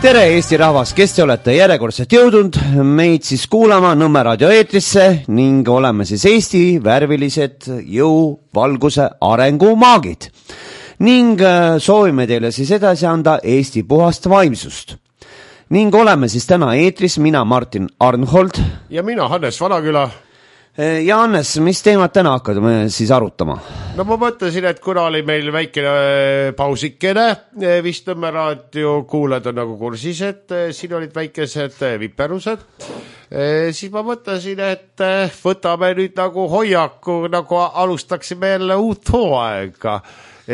Tere Eesti rahvas, kes te olete järjekordselt jõudnud meid siis kuulama Nõmme raadio eetrisse ning oleme siis Eesti värvilised jõu, valguse, arengu maagid ning soovime teile siis edasi anda Eesti puhast vaimsust. Ning oleme siis täna eetris, mina Martin Arnhold ja mina Hannes Vanaküla. Ja Hannes, mis teemad täna hakkame siis arutama? No ma mõtlesin, et kuna oli meil väikene pausikene, vist Nõmme raadio kuulajad on nagu kursis, et siin olid väikesed viperused, siis ma mõtlesin, et võtame nüüd nagu hoiaku, nagu alustaksime jälle uut hooaega,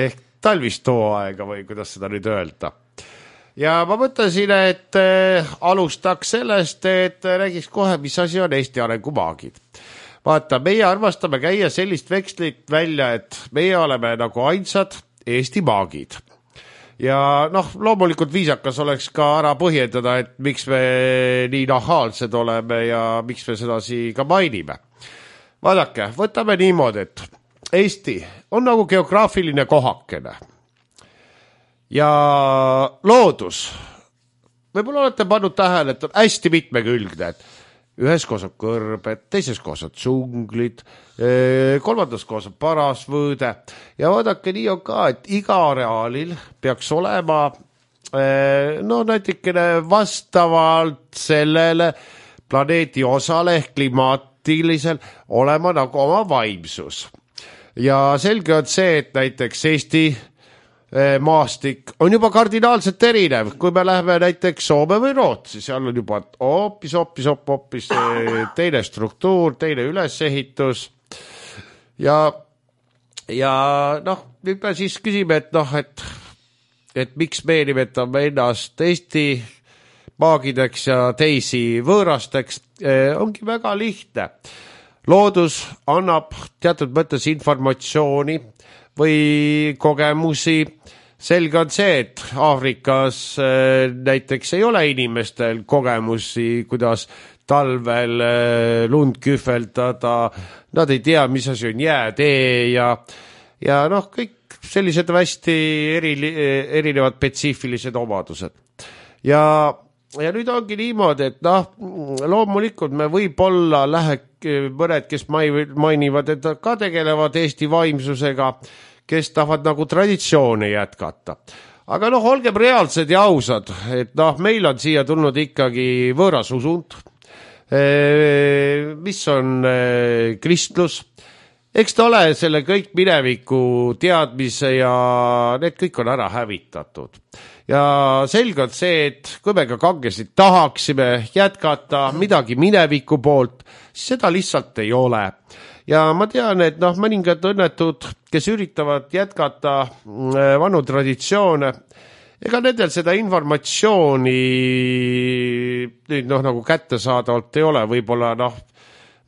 ehk talvist hooaega või kuidas seda nüüd öelda. Ja ma mõtlesin, et alustaks sellest, et räägiks kohe, mis asi on Eesti arengumaagid. Vaata, meie armastame käia sellist vekslit välja, et meie oleme nagu ainsad Eesti maagid. Ja loomulikult viisakas oleks ka ära põhjendada, et miks me nii nahaalsed oleme ja miks me sedasi ka mainime. Vaadake, võtame niimoodi, et Eesti on nagu geograafiline kohakene. Ja loodus, võib-olla olete pannud tähele, et on hästi mitmekülgne, et ühes koos on kõrbed, teises koos on džunglid, kolmandas koos on parasvõõde ja vaadake, nii on ka, et iga areaalil peaks olema näitikene vastavalt sellele planeedi osale ehk klimaatilisel olema nagu oma vaimsus. Ja selge on see, et näiteks Eesti maastik on juba kardinaalselt erinev, kui me läheme näiteks Soome või Rootsi, seal on juba hoopis teine struktuur, teine ülesehitus ja nüüd me siis küsime, et miks me nimetame ennast Eesti maagideks ja teisi võõrasteks, ongi väga lihtne. Loodus annab teatud mõttes informatsiooni või kogemusi. Selge on see, et Aafrikas näiteks ei ole inimestel kogemusi, kuidas talvel lund kühveldada, nad ei tea, mis asi on jäätee ja kõik sellised hästi erinevad spetsiifilised omadused. Ja nüüd ongi niimoodi, et loomulikult me võib-olla mõned, kes mainivad, et ka tegelevad Eesti vaimsusega, kes tahavad nagu traditsioone jätkata. Aga olgem reaalsed ja ausad, et meil on siia tulnud ikkagi võõras usund, mis on kristlus. Eks ta ole selle kõik mineviku teadmise ja need kõik on ära hävitatud. Ja selge on see, et kui me ka kangesid tahaksime jätkata midagi mineviku poolt, siis seda lihtsalt ei ole. Ja ma tean, et mõningad õnnetud, kes üritavad jätkata vanu traditsioone, ega nendel seda informatsiooni nüüd nagu kättesaadavalt ei ole, võib-olla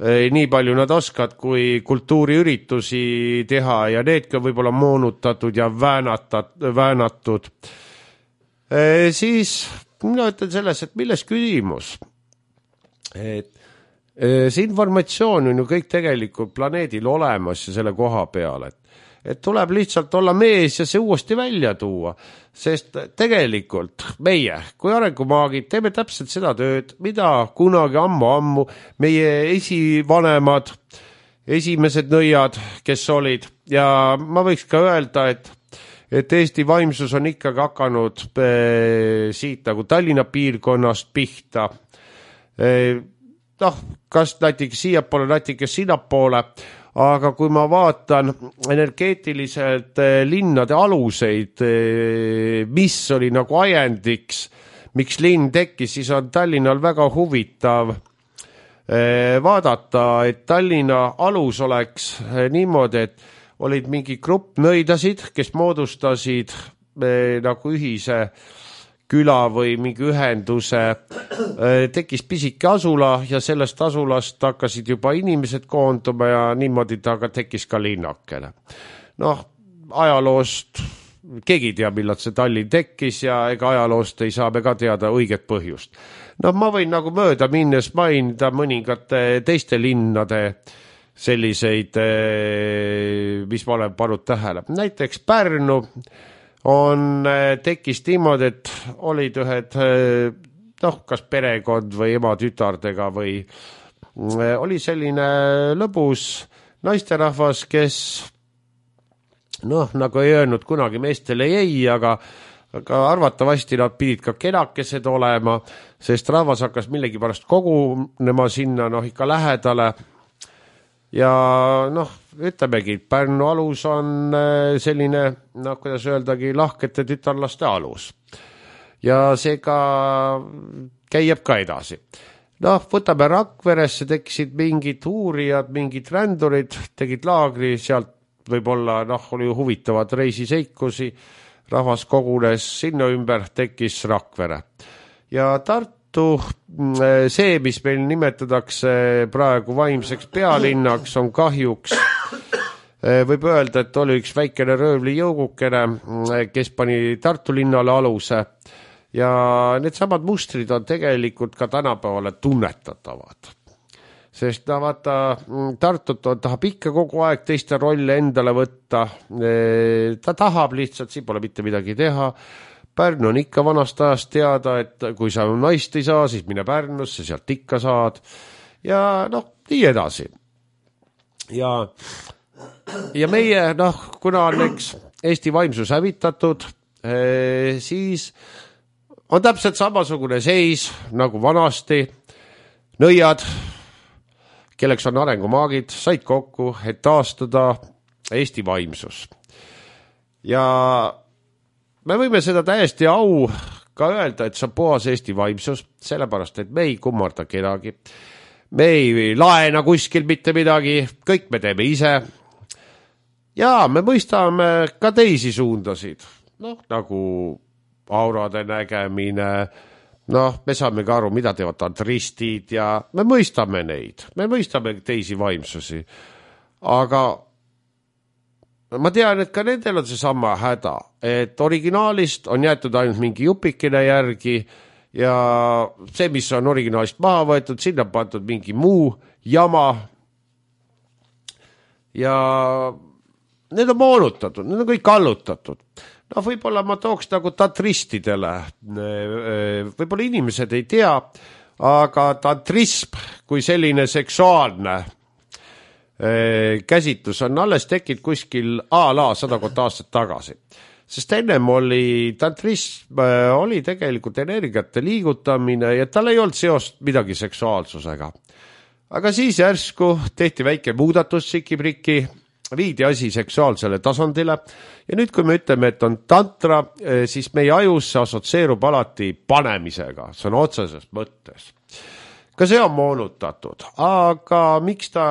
nii palju nad oskavad, kui kultuuriüritusi teha ja needki on võib-olla moonutatud ja väänatud. Siis mina ütlen selles, et milles küsimus? See informatsioon on ju kõik tegelikult planeedil olemas ja selle koha peal, et tuleb lihtsalt olla mees ja see uuesti välja tuua, sest tegelikult meie kui arengumaagid teeme täpselt seda tööd, mida kunagi ammu meie esivanemad, esimesed nõiad, kes olid, ja ma võiks ka öelda, et Eesti vaimsus on ikkagi hakanud siit nagu Tallinna piirkonnast pihta, kas näiteks siiapoole, näiteks sinnapoole, aga kui ma vaatan energeetiliselt linnade aluseid, mis oli nagu ajendiks, miks linn tekkis, siis on Tallinnal väga huvitav vaadata, et Tallinna alus oleks niimoodi, et olid mingi grupp nõidasid, kes moodustasid nagu ühise küla või mingi ühenduse, tekkis pisike asula ja sellest asulast hakkasid juba inimesed koonduma ja niimoodi ta tekkis ka linnakene. Ajaloost keegi teab, millal see Tallinn tekkis ja ega ajaloost ei saa me ka teada õiget põhjust. Ma võin nagu mööda minnes mainida mõningate teiste linnade selliseid, mis ma olen pannud tähele. Näiteks Pärnu tekkis niimoodi, et olid ühed, kas perekond või ema tütardega või oli selline lõbus naisterahvas, kes nagu ei öelnud kunagi meestele ei, aga arvatavasti nad pidid ka kenakesed olema, sest rahvas hakkas millegipärast kogunema sinna ikka lähedale. Ja ütlemegi, Pärnu alus on selline, kuidas öeldagi, lahkete tütarlaste alus. Ja seega käib ka edasi. Võtame Rakveresse, tekkisid mingid uurijad, mingid rändurid, tegid laagri, sealt võib-olla oli huvitavad reisiseikusi, rahvas kogunes sinna ümber, tekkis Rakvere. Ja Tartu, see, mis meil nimetatakse praegu vaimseks pealinnaks, on kahjuks, võib öelda, et oli üks väikene röövli jõugukene, kes pani Tartu linnale aluse. Ja need samad mustrid on tegelikult ka tänapäevale tunnetatavad. Sest Tartut tahab ikka kogu aeg teiste rolle endale võtta. Ta tahab lihtsalt, siin pole mitte midagi teha. Pärnu on ikka vanast ajast teada, et kui sa naist ei saa, siis mine Pärnusse, sealt ikka saad. Ja nii edasi. Ja meie, kuna on Eesti vaimsus hävitatud, siis on täpselt samasugune seis nagu vanasti. Nõiad, kelleks on arengumaagid, said kokku, et taastada Eesti vaimsus. Ja me võime seda täiesti au ka öelda, et see on puhas Eesti vaimsus, sellepärast, et me ei kummarda kedagi. Me ei laena kuskil mitte midagi, kõik me teeme ise. Ja me mõistame ka teisi suundasid, nagu aurade nägemine, me saame ka aru, mida teevad tantristid ja me mõistame neid, me mõistame teisi vaimsusi. Aga ma tean, et ka nendel on see sama häda, et originaalist on jäetud ainult mingi jupikene järgi ja see, mis on originaalist maha võetud, sinna on pandud mingi muu jama ja need on moonutatud, need on kõik allutatud. Võib-olla ma tooks nagu tantristidele, võib-olla inimesed ei tea, aga tantrism kui selline seksuaalne käsitlus on alles tekkinud kuskil a-la 100 aastat tagasi. Sest ennem oli tantrism, oli tegelikult energiate liigutamine ja tal ei olnud seost midagi seksuaalsusega. Aga siis järsku tehti väike muudatus sikipriki, viidi asi seksuaalsele tasandile ja nüüd, kui me ütleme, et on tantra, siis meie ajus see assotsieerub alati panemisega, see on otseses mõttes. Ka see on moonutatud, aga miks ta,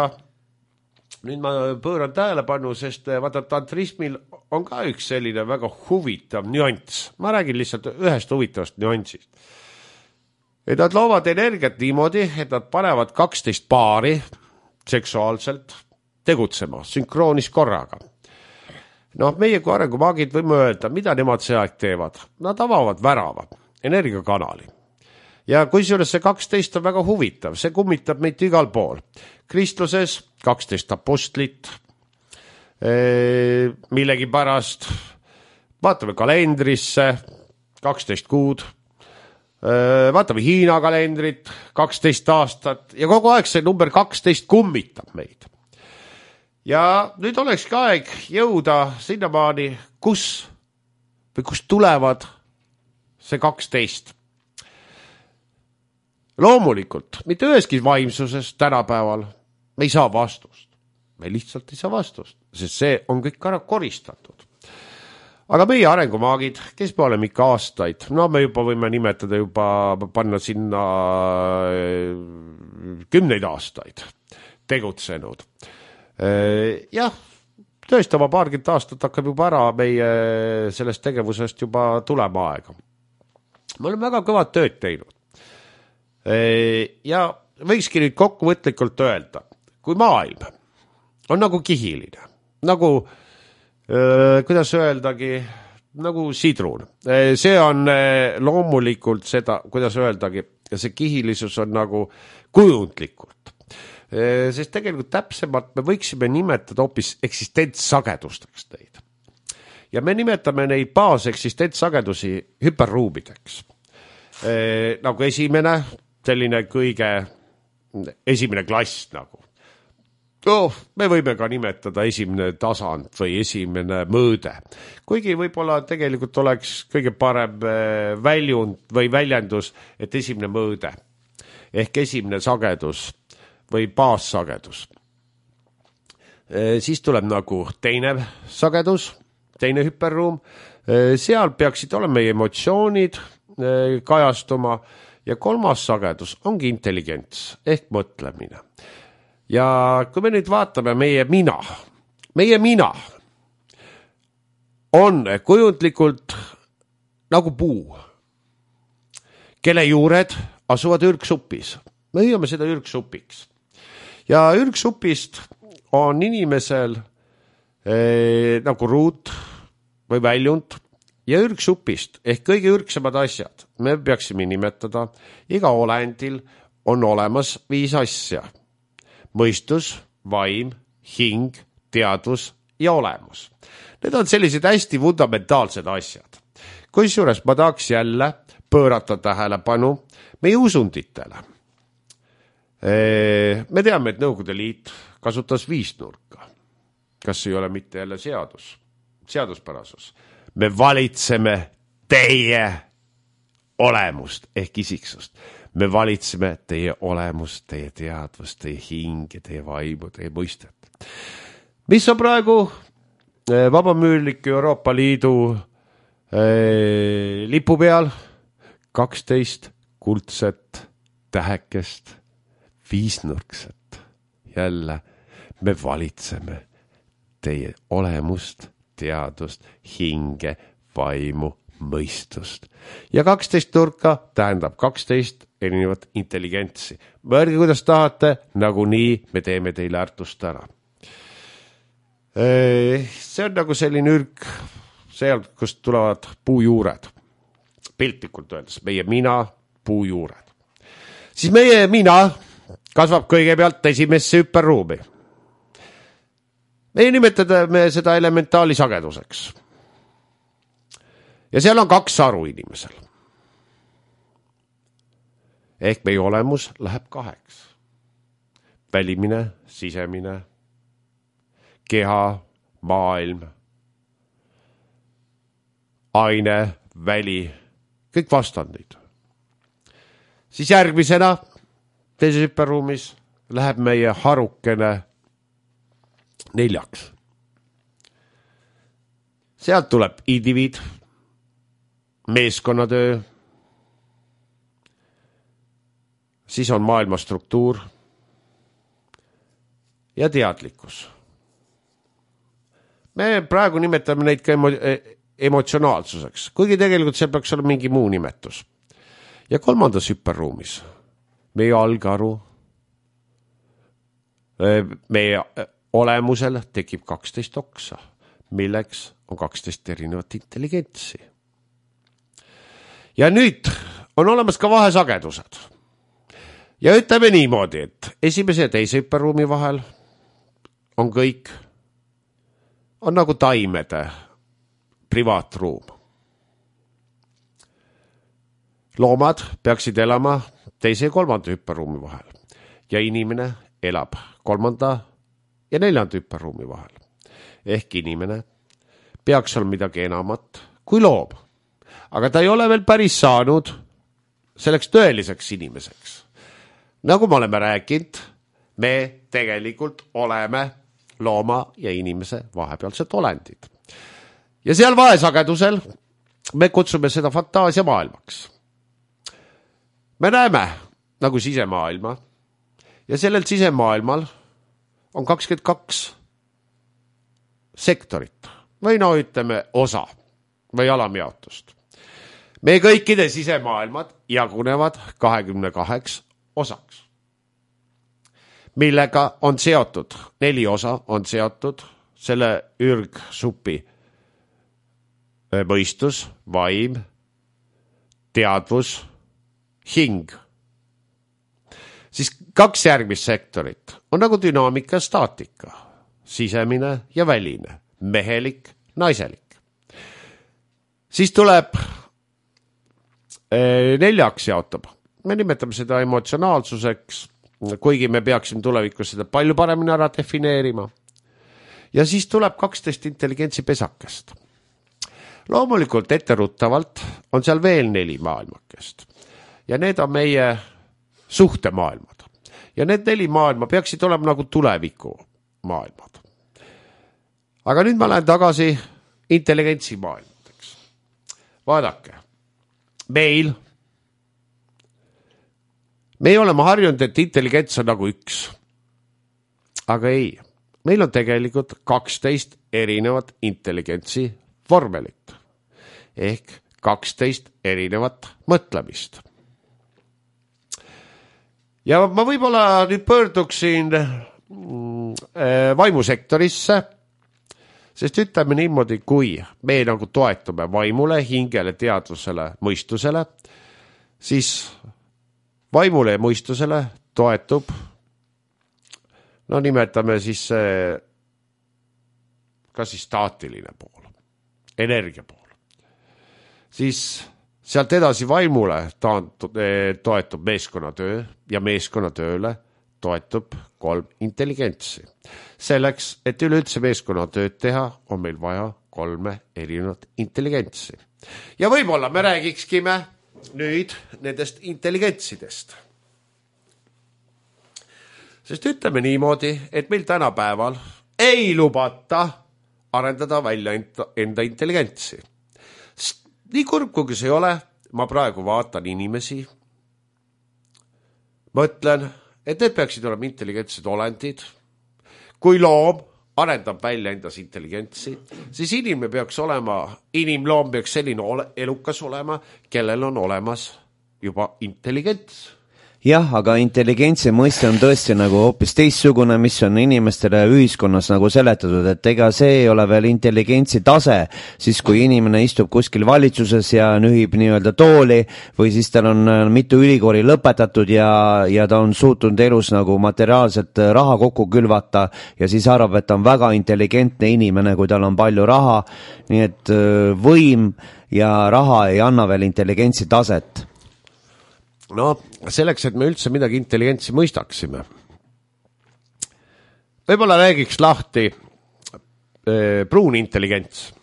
nüüd ma pööran tähelepanu, sest vaata tantrismil on ka üks selline väga huvitav nüanss. Ma räägin lihtsalt ühest huvitavast nüansist. Et nad loovad energiat niimoodi, et nad panevad 12 paari seksuaalselt tegutsema, sünkroonis korraga. Meie kui arengumaagid võime öelda, mida nemad see aeg teevad. Nad avavad värava, energiakanali. Ja kui see 12 on väga huvitav, see kummitab meid igal pool. Kristluses 12 apostlit, millegi pärast, vaatame kalendrisse, 12 kuud, vaatame Hiina kalendrit, 12 aastat ja kogu aeg see number 12 kummitab meid. Ja nüüd olekski aeg jõuda sinnamaani, kust tulevad see 12. Loomulikult, mitte üheski vaimsuses tänapäeval me ei saa vastust. Me lihtsalt ei saa vastust, sest see on kõik ära koristatud. Aga meie arengumaagid, kes me oleme ikka aastaid, me juba võime nimetada panna sinna 10 aastaid tegutsenud. Jah, tõesti oma paarkümmend aastat hakkab juba ära meie sellest tegevusest juba tulema aega. Me oleme väga kõvad tööd teinud. Ja võikski nüüd kokkuvõtlikult öelda, kui maailm on nagu kihiline, nagu, kuidas öeldagi, nagu sidrun. See on loomulikult seda, kuidas öeldagi, see kihilisus on nagu kujundlikult. Sest tegelikult täpsemalt me võiksime nimetada hoopis eksistentsagedusteks neid. ja me nimetame neid baaseksistentsagedusi hüperruumideks. Nagu esimene, selline esimene klass nagu. Me võime ka nimetada esimene tasand või esimene mõõde. Kuigi võib-olla tegelikult oleks kõige parem väljund või väljendus, et esimene mõõde ehk esimene sagedus või baassagedus. Siis tuleb nagu teine sagedus, teine hüperruum. Seal peaksid olema meie emotsioonid kajastuma ja kolmas sagedus ongi intelligents ehk mõtlemine. Ja kui me nüüd vaatame meie mina on kujundlikult nagu puu, kelle juured asuvad ürgsupis. Me hüüame seda ürgsupiks. Ja ürgsupist on inimesel nagu ruut või väljund ja ürgsupist ehk kõige ürgsemad asjad. Me peaksime nimetada, iga olendil on olemas 5 asja. Mõistus, vaim, hing, teadvus ja olemus. Need on sellised hästi fundamentaalsed asjad. Kusjuures ma tahaks jälle pöörata tähelepanu meie usunditele. Me teame, et Nõukogude Liit kasutas 5 nurka. Kas ei ole mitte jälle seaduspärasus? Me valitseme teie olemust ehk isiksust. Me valitseme teie olemust, teie teadvust, teie hinge, teie vaimu, teie mõistet. Mis on praegu vabamüürlik Euroopa Liidu lipu peal? 12 kuldset tähekest, 5-nurkset. Jälle me valitseme teie olemust, teadvust, hinge, vaimu, mõistust. Ja 12 nurka tähendab 12 erinevat intelligentsi. Mõelge, kuidas tahate, nagu nii me teeme teile ärtust ära. See on nagu selline ürg, seal, kust tulevad puujuured. Piltlikult öeldes, meie mina, puujuured. Siis meie mina kasvab kõigepealt esimesse hüperruumi. Me nimetame seda elementaali sageduseks. Ja seal on 2 aru inimesel. Ehk meie olemus läheb 2. Välimine, sisemine, keha, maailm, aine, väli, kõik vastandid. Siis järgmisena teises hüperruumis läheb meie harukene 4. Sealt tuleb indiviid, meeskonnatöö, siis on maailma struktuur ja teadlikkus. Me praegu nimetame neid ka emotsionaalsuseks, kuigi tegelikult seal peaks olla mingi muu nimetus. Ja 3. hüperruumis meie algaru, meie olemusel tekib 12 oksa, milleks on 12 erinevat intelligentsi. Ja nüüd on olemas ka vahesagedused. Ja ütleme niimoodi, et esimese ja teise hüperruumi vahel on kõik, on nagu taimede privaatruum. Loomad peaksid elama teise ja 3. hüperruumi vahel ja inimene elab 3. ja 4. hüperruumi vahel. Ehk inimene peaks olla midagi enamat kui loom. Aga ta ei ole veel päris saanud selleks tõeliseks inimeseks. Nagu me oleme rääkinud, me tegelikult oleme looma ja inimese vahepealsed olendid. Ja seal vahesagedusel me kutsume seda fantaasiamaailmaks. Me näeme nagu sisemaailma ja sellel sisemaailmal on 22 sektorit või ütleme osa või alamjaotust. Meie kõikide sisemaailmad jagunevad 22 osaks, millega on seotud, 4 osa on seotud selle ürgsupi mõistus, vaim, teadvus, hing. Siis 2 järgmist sektorit on nagu dünaamika ja staatika, sisemine ja väline, mehelik, naiselik. siis tuleb neljaks jaotab. Me nimetame seda emotsionaalsuseks, kuigi me peaksime tulevikus seda palju paremini ära defineerima. Ja siis tuleb 12 intelligentsi pesakest. Loomulikult etteruttavalt on seal veel 4 maailmakest. Ja need on meie suhtemaailmad. Ja need 4 maailma peaksid olema nagu tuleviku maailmad. Aga nüüd ma lähen tagasi intelligentsi maailmadeks. Vaadake, me oleme harjunud, et intelligents on nagu üks. Aga ei, meil on tegelikult 12 erinevat intelligentsi vormelit. Ehk 12 erinevat mõtlemist. Ja ma võib-olla nüüd pöörduksin vaimusektorisse, sest ütleme niimoodi, kui me nagu toetume vaimule, hingele, teadvusele, mõistusele, siis vaimule ja mõistusele toetub, no nimetame siis kas siis staatiline pool, energia pool. Siis sealt edasi vaimule toetub meeskonnatöö ja meeskonnatööle toetub 3 intelligentsi. Selleks, et üleüldse meeskonnatööd teha, on meil vaja 3 erinevat intelligentsi. Ja võib-olla me räägikskime nüüd nendest intelligentsidest. Sest ütleme niimoodi, et meil tänapäeval ei lubata arendada välja enda intelligentsi. Nii kurb, kui see ei ole, ma praegu vaatan inimesi, mõtlen, et need peaksid olema intelligentsed olendid. Kui loom arendab välja endas intelligentsi, siis inimloom peaks selline elukas olema, kellel on olemas juba intelligents. Jah, aga intelligentsi mõiste on tõesti nagu hoopis teistsugune, mis on inimestele ühiskonnas nagu seletatud, et ega see ei ole veel intelligentsi tase, siis kui inimene istub kuskil valitsuses ja nühib nii-öelda tooli või siis tal on mitu ülikooli lõpetatud ja ta on suutnud elus nagu materiaalselt raha kokku külvata ja siis arvab, et ta on väga intelligentne inimene, kui tal on palju raha, nii et võim ja raha ei anna veel intelligentsi taset. No selleks, et me üldse midagi intelligentsi mõistaksime. Võib-olla räägiks lahti pruun intelligents.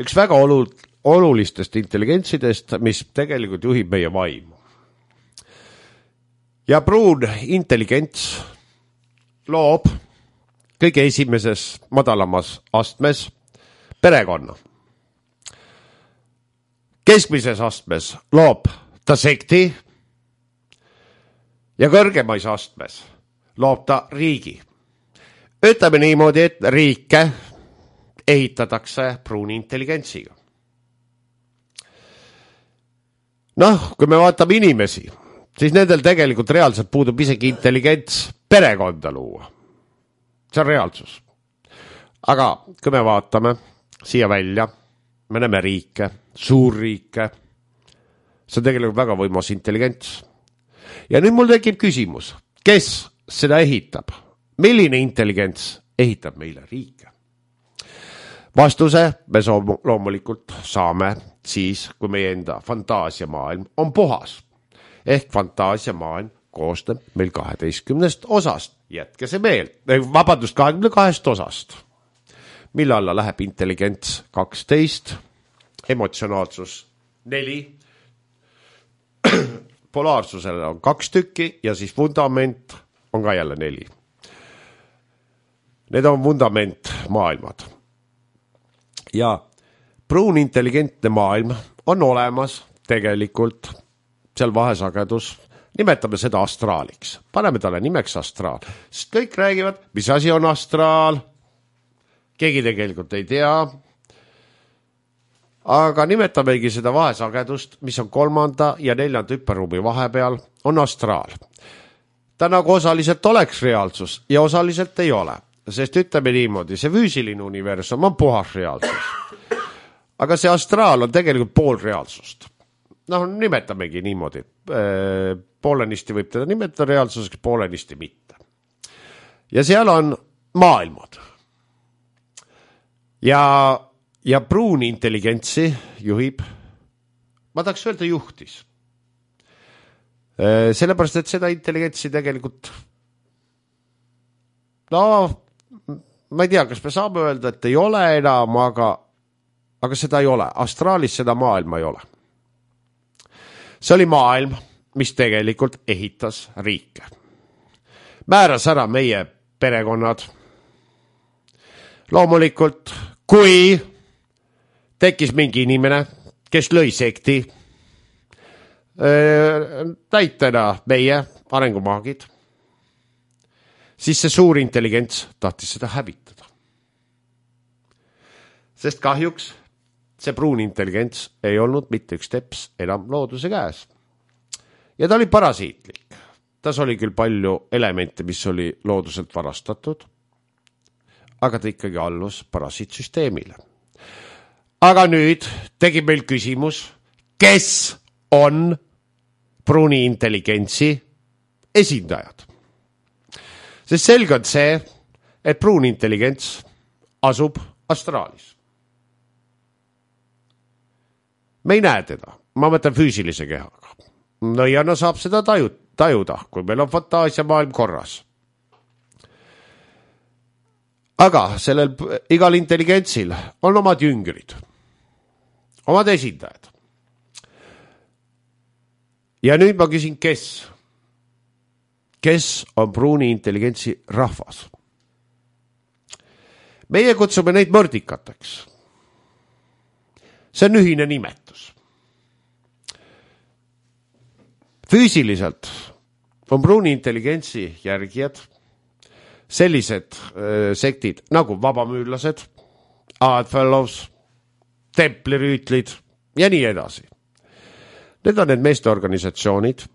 Üks väga olulistest intelligentsidest, mis tegelikult juhib meie vaimu. Ja pruun intelligents loob kõige esimeses madalamas astmes perekonna. Keskmises astmes loob ta sekti ja kõrgemais astmes loob ta riigi. Ütleme niimoodi, et riike ehitatakse pruuni intelligentsiga. Noh, kui me vaatame inimesi, siis nendel tegelikult reaalselt puudub isegi intelligents perekonda luua. See on reaalsus. Aga kui me vaatame siia välja, me näeme riike, suurriike, see on tegelikult väga võimas intelligents. Ja nüüd mul tekib küsimus, kes seda ehitab? Milline intelligents ehitab meile riike? Vastuse me loomulikult saame siis, kui meie enda fantaasiamaailm on puhas. Ehk fantaasiamaailm koosneb meil 12 osast. Jätke see meel. 22 osast. Mille alla läheb intelligents 12, emotsionaalsus 4, polaarsusele on 2 tükki ja siis vundament on ka jälle 4. Need on vundament maailmad. Ja pruun intelligentne maailm on olemas tegelikult seal vahesagedus, nimetame seda astraaliks. Paneme talle nimeks astraal. Sest kõik räägivad, mis asi on astraal. Keegi tegelikult ei tea. Aga nimetamegi seda vahesagedust, mis on 3. ja 4. hüperruumi vahepeal, on astraal. Ta nagu osaliselt oleks reaalsus ja osaliselt ei ole. Sest ütleme niimoodi, see füüsiline universum on puhas reaalsus. Aga see astraal on tegelikult pool reaalsust. Noh, nimetamegi niimoodi. Poolenisti võib teda nimetada reaalsuseks, poolenisti mitte. Ja seal on maailmad. Ja ja pruuni intelligentsi juhib, ma tahaks öelda juhtis. Sellepärast, et seda intelligentsi tegelikult, no ma ei tea, kas me saame öelda, et ei ole enam, aga seda ei ole. Astraalis seda maailma ei ole. See oli maailm, mis tegelikult ehitas riike. Määras ära meie perekonnad. Loomulikult, kui tekkis mingi inimene, kes lõi sekti, näitena meie arengumaagid, siis see suur intelligents tahtis seda hävitada. Sest kahjuks see pruun intelligents ei olnud mitte üks teps enam looduse käes. Ja ta oli parasiitlik. Tas oli küll palju elemente, mis oli looduselt varastatud, aga ta ikkagi allus parasiitsüsteemile. Aga nüüd tegi meil küsimus, kes on pruuni intelligentsi esindajad. Sest selge on see, et pruun intelligents asub astraalis. Me ei näe teda, ma mõtlen füüsilise kehaga. Nõiana saab seda tajuda, kui meil on fantaasia maailm korras. Aga sellel igal intelligentsil on omad jüngrid, omad esindajad. Ja nüüd ma küsin, kes? Kes on pruuni intelligentsi rahvas? Meie kutsume neid mõrdikateks. See on ühine nimetus. Füüsiliselt on pruuni intelligentsi järgijad sellised sektid nagu vabamüürlased, Oddfellows, templirüütlid ja nii edasi. Need on need meesteorganisatsioonid,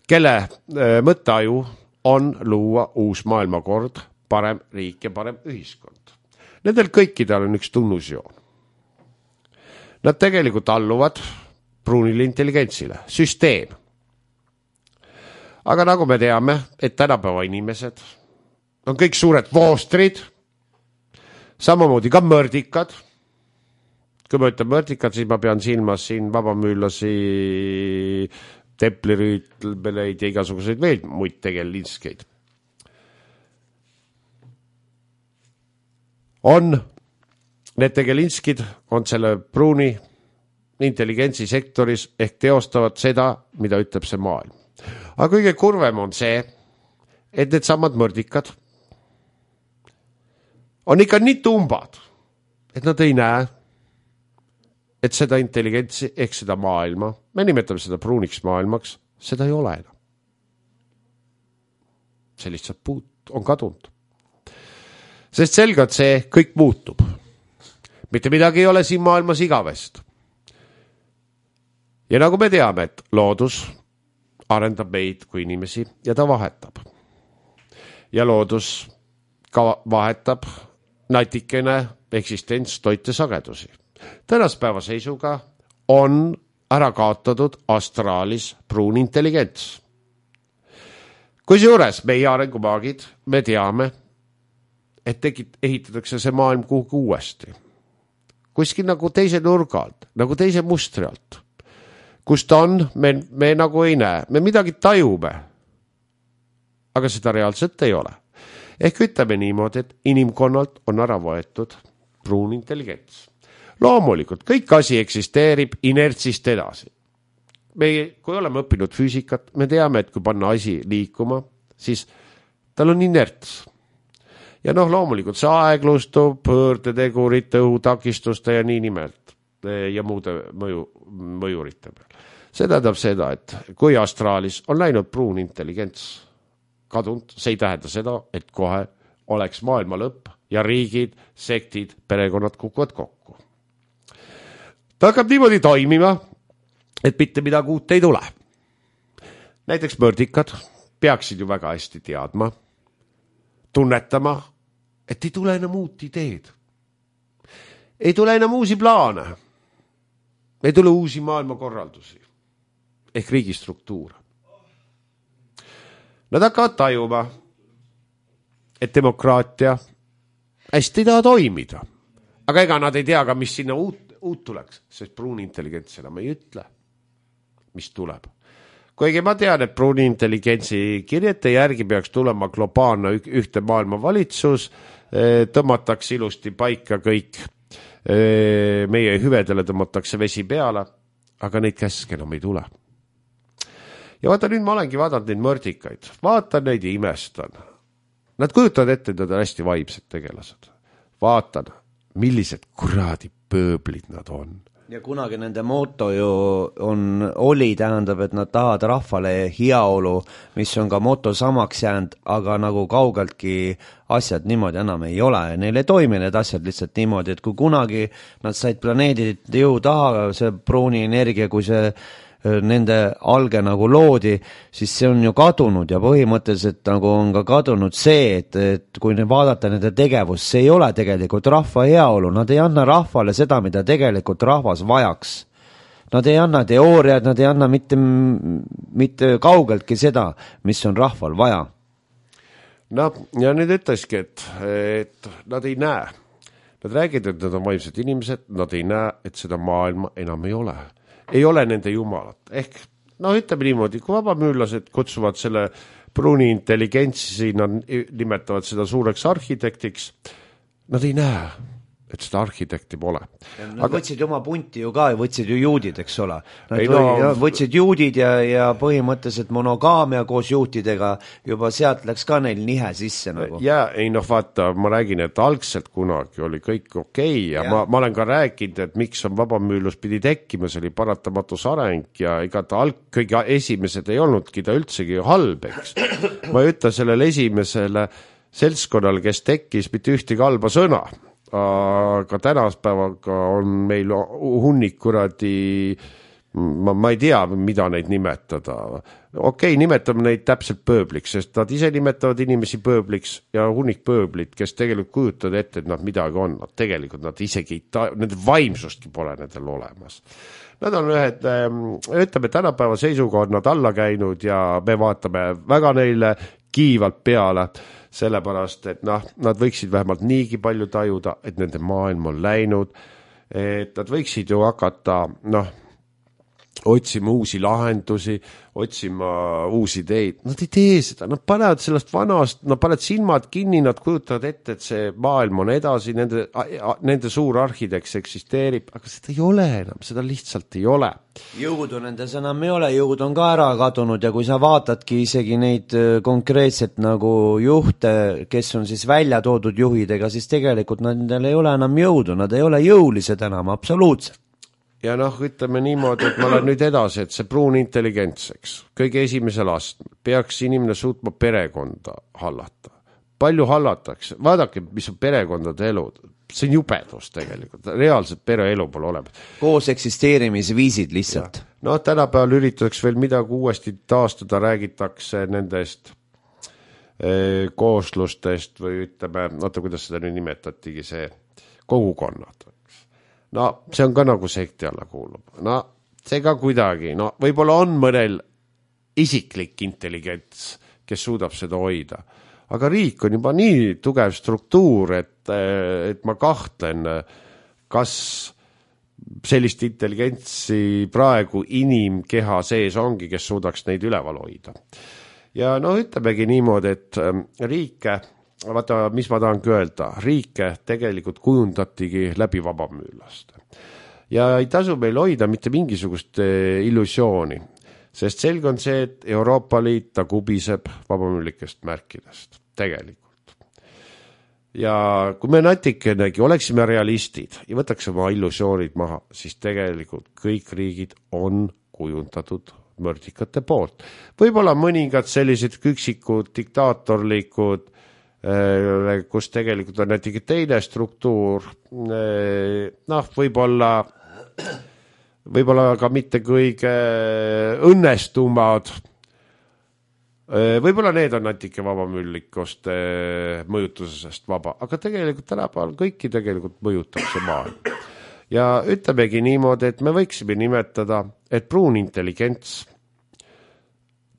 kelle mõtteaju on luua uus maailmakord, parem riik ja parem ühiskond. Nendel kõikidel on üks tunnusjoon. Nad tegelikult alluvad pruunile intelligentsile, süsteem. Aga nagu me teame, et tänapäeva inimesed on kõik suured voostrid, samamoodi ka mõrdikad. Kui ma ütlen mõrdikad, siis ma pean silmas siin vabamüürlasi, templirüütleid ja igasuguseid veel muid tegelinskeid. Need tegelinskid on selle pruuni intelligentsi sektoris ehk teostavad seda, mida ütleb see maailm. Aga kõige kurvem on see, et need samad mõrdikad on ikka nii tumbad, et nad ei näe, et seda intelligentsi ehk seda maailma, me nimetame seda pruuniks maailmaks, seda ei ole enam. See lihtsalt on kadunud. Sest selgelt see kõik muutub. Mitte midagi ei ole siin maailmas igavest. Ja nagu me teame, et loodus arendab meid kui inimesi ja ta vahetab. Ja loodus ka vahetab natikene eksistents toite sagedusi. Tänaspäeva seisuga on ära kaotatud astraalis pruun intelligents. Kusjuures meie arengumaagid, me teame, et ehitatakse see maailm kuhugi uuesti. Kuskil nagu teise nurga alt, nagu teise mustri alt. Kus ta on, me nagu ei näe. Me midagi tajume, aga seda reaalselt ei ole. Ehk ütleme niimoodi, et inimkonnalt on ära võetud pruun intelligents. Loomulikult, kõik asi eksisteerib inertsist edasi. Me, kui oleme õppinud füüsikat, me teame, et kui panna asi liikuma, siis tal on inerts. Ja loomulikult see aeglustub pöördetegurite, õhutakistuste ja nii nimelt ja muude mõjurite peal. See tähendab seda, et kui astraalis on läinud pruun intelligents kadunud, see ei tähenda seda, et kohe oleks maailma lõpp ja riigid, sektid, perekonnad kukuvad kokku. Ta hakkab niimoodi toimima, et mitte midagi uut ei tule. Näiteks mõrdikad peaksid ju väga hästi teadma, tunnetama, et ei tule enam uut ideed. Ei tule enam uusi plaane. Ei tule uusi maailmakorraldusi ehk riigistruktuure. Nad hakkavad tajuma, et demokraatia hästi ei taha toimida. aga ega nad ei tea ka, mis sinna uut tuleks, sest pruuni intelligents enam ei ütle, mis tuleb. Kuigi ma tean, et pruuni intelligentsi kirjete järgi peaks tulema globaalne ühte maailma valitsus, tõmmatakse ilusti paika kõik, meie hüvedele tõmmatakse vesi peale, aga neid käske enam ei tule. Ja vaata, nüüd ma olengi vaadanud neid mõrdikaid, vaatan neid ja imestan. Nad kujutavad ette, et nad on hästi vaimsed tegelased. Vaatan, millised kuradi pööblid nad on. Ja kunagi nende moto ju oli, tähendab, et nad tahavad rahvale heaolu, mis on ka moto samaks jäänud, aga nagu kaugeltki asjad niimoodi enam ei ole. Neil ei toimi need asjad lihtsalt niimoodi, et kui kunagi nad said planeedid jõu taha, see pruuni energia, kui see nende alge nagu loodi, siis see on ju kadunud ja põhimõtteliselt nagu on ka kadunud see, et kui vaadata nende tegevust, see ei ole tegelikult rahva heaolu, nad ei anna rahvale seda, mida tegelikult rahvas vajaks. Nad ei anna teooriad, nad ei anna mitte kaugeltki seda, mis on rahval vaja. No, ja nüüd ütleski, et nad ei näe. Nad räägid, et nad on vaimsed inimesed, nad ei näe, et seda maailma enam ei ole. Ei ole nende jumalat. Ehk, ütleme niimoodi, kui vabamüürlased kutsuvad selle pruuni intelligentsi, nad nimetavad seda suureks arhitektiks, nad ei näe, et seda arhitekti pole. Nad võtsid oma punti ju ka, võtsid ju juudid, eks ole. Nad võtsid juudid ja põhimõtteliselt monogaamia koos juutidega, juba sealt läks ka neil nihe sisse nagu. Ja vaata, ma räägin, et algselt kunagi oli kõik okei ja ma olen ka rääkinud, et miks on vabamüürlus pidi tekkima, see oli paratamatus areng ja ega ta kõige esimesed ei olnudki ta üldsegi halb, eks. Ma ei ütle sellele esimesele seltskonnale, kes tekkis mitte ühtegi halba sõna. Aga tänaspäevaga on meil hunnik kuradi, ma ei tea, mida neid nimetada. Okei, nimetame neid täpselt pööbliks, sest nad ise nimetavad inimesi pööbliks ja hunnik pööblit, kes tegelikult kujutavad ette, et nad midagi on. Tegelikult nad isegi, nende vaimsustki pole nendel olemas. Nad on ütleme, tänapäeva seisuga on nad alla käinud ja me vaatame väga neile kiivalt peale, sellepärast, et nad võiksid vähemalt niigi palju tajuda, et nende maailm on läinud, et nad võiksid ju hakata, otsima uusi lahendusi, otsima uusi ideid. Nad ei tee seda, nad panevad sellest vanast, nad panevad silmad kinni, nad kujutavad ette, et see maailm on edasi, nende suur arhiteks eksisteerib, aga seda ei ole enam, seda lihtsalt ei ole. Jõudu nendes enam ei ole, jõud on ka ära kadunud ja kui sa vaatadki isegi neid konkreetselt nagu juhte, kes on siis välja toodud juhidega, siis tegelikult nendel ei ole enam jõudu, nad ei ole jõulised enam, absoluutselt. Ja ütleme niimoodi, et ma olen nüüd edasi, et see pruun intelligentseks, kõige esimesel astmel peaks inimene suutma perekonda hallata. Palju hallatakse, vaadake, mis on perekondade elud, see on jubedus tegelikult, reaalselt pereelu pole olemas. Koos eksisteerimisviisid lihtsalt. Tänapäeval üritatakse veel midagi uuesti taastada, räägitakse nendest kooslustest või ütleme, kuidas seda nüüd nimetatigi, see kogukonnad. See on ka nagu sekti alla kuulub. See ka kuidagi, võib-olla on mõnel isiklik intelligents, kes suudab seda hoida. Aga riik on juba nii tugev struktuur, et ma kahtlen, kas sellist intelligentsi praegu inimkeha sees ongi, kes suudaks neid üleval hoida. Ja ütlemegi niimoodi, et riike, vaata, mis ma tahangi öelda, riike tegelikult kujundatigi läbi vabamüürlaste. Ja ei tasu meil hoida mitte mingisugust illusiooni, sest selge on see, et Euroopa Liit ta kubiseb vabamüürlikest märkidest, tegelikult. Ja kui me natikenegi oleksime realistid ja võtaks oma illusioonid maha, siis tegelikult kõik riigid on kujundatud mõrdikate poolt. Võib-olla mõningad sellised üksikud diktaatorlikud, kus tegelikult on näiteks teine struktuur, võib-olla ka mitte kõige õnnestumad, võib-olla need on natuke vabamüürlikust mõjutusest vaba, aga tegelikult tänapäeval kõiki tegelikult mõjutab see maailm. Ja ütlemegi niimoodi, et me võiksime nimetada, et pruun intelligents,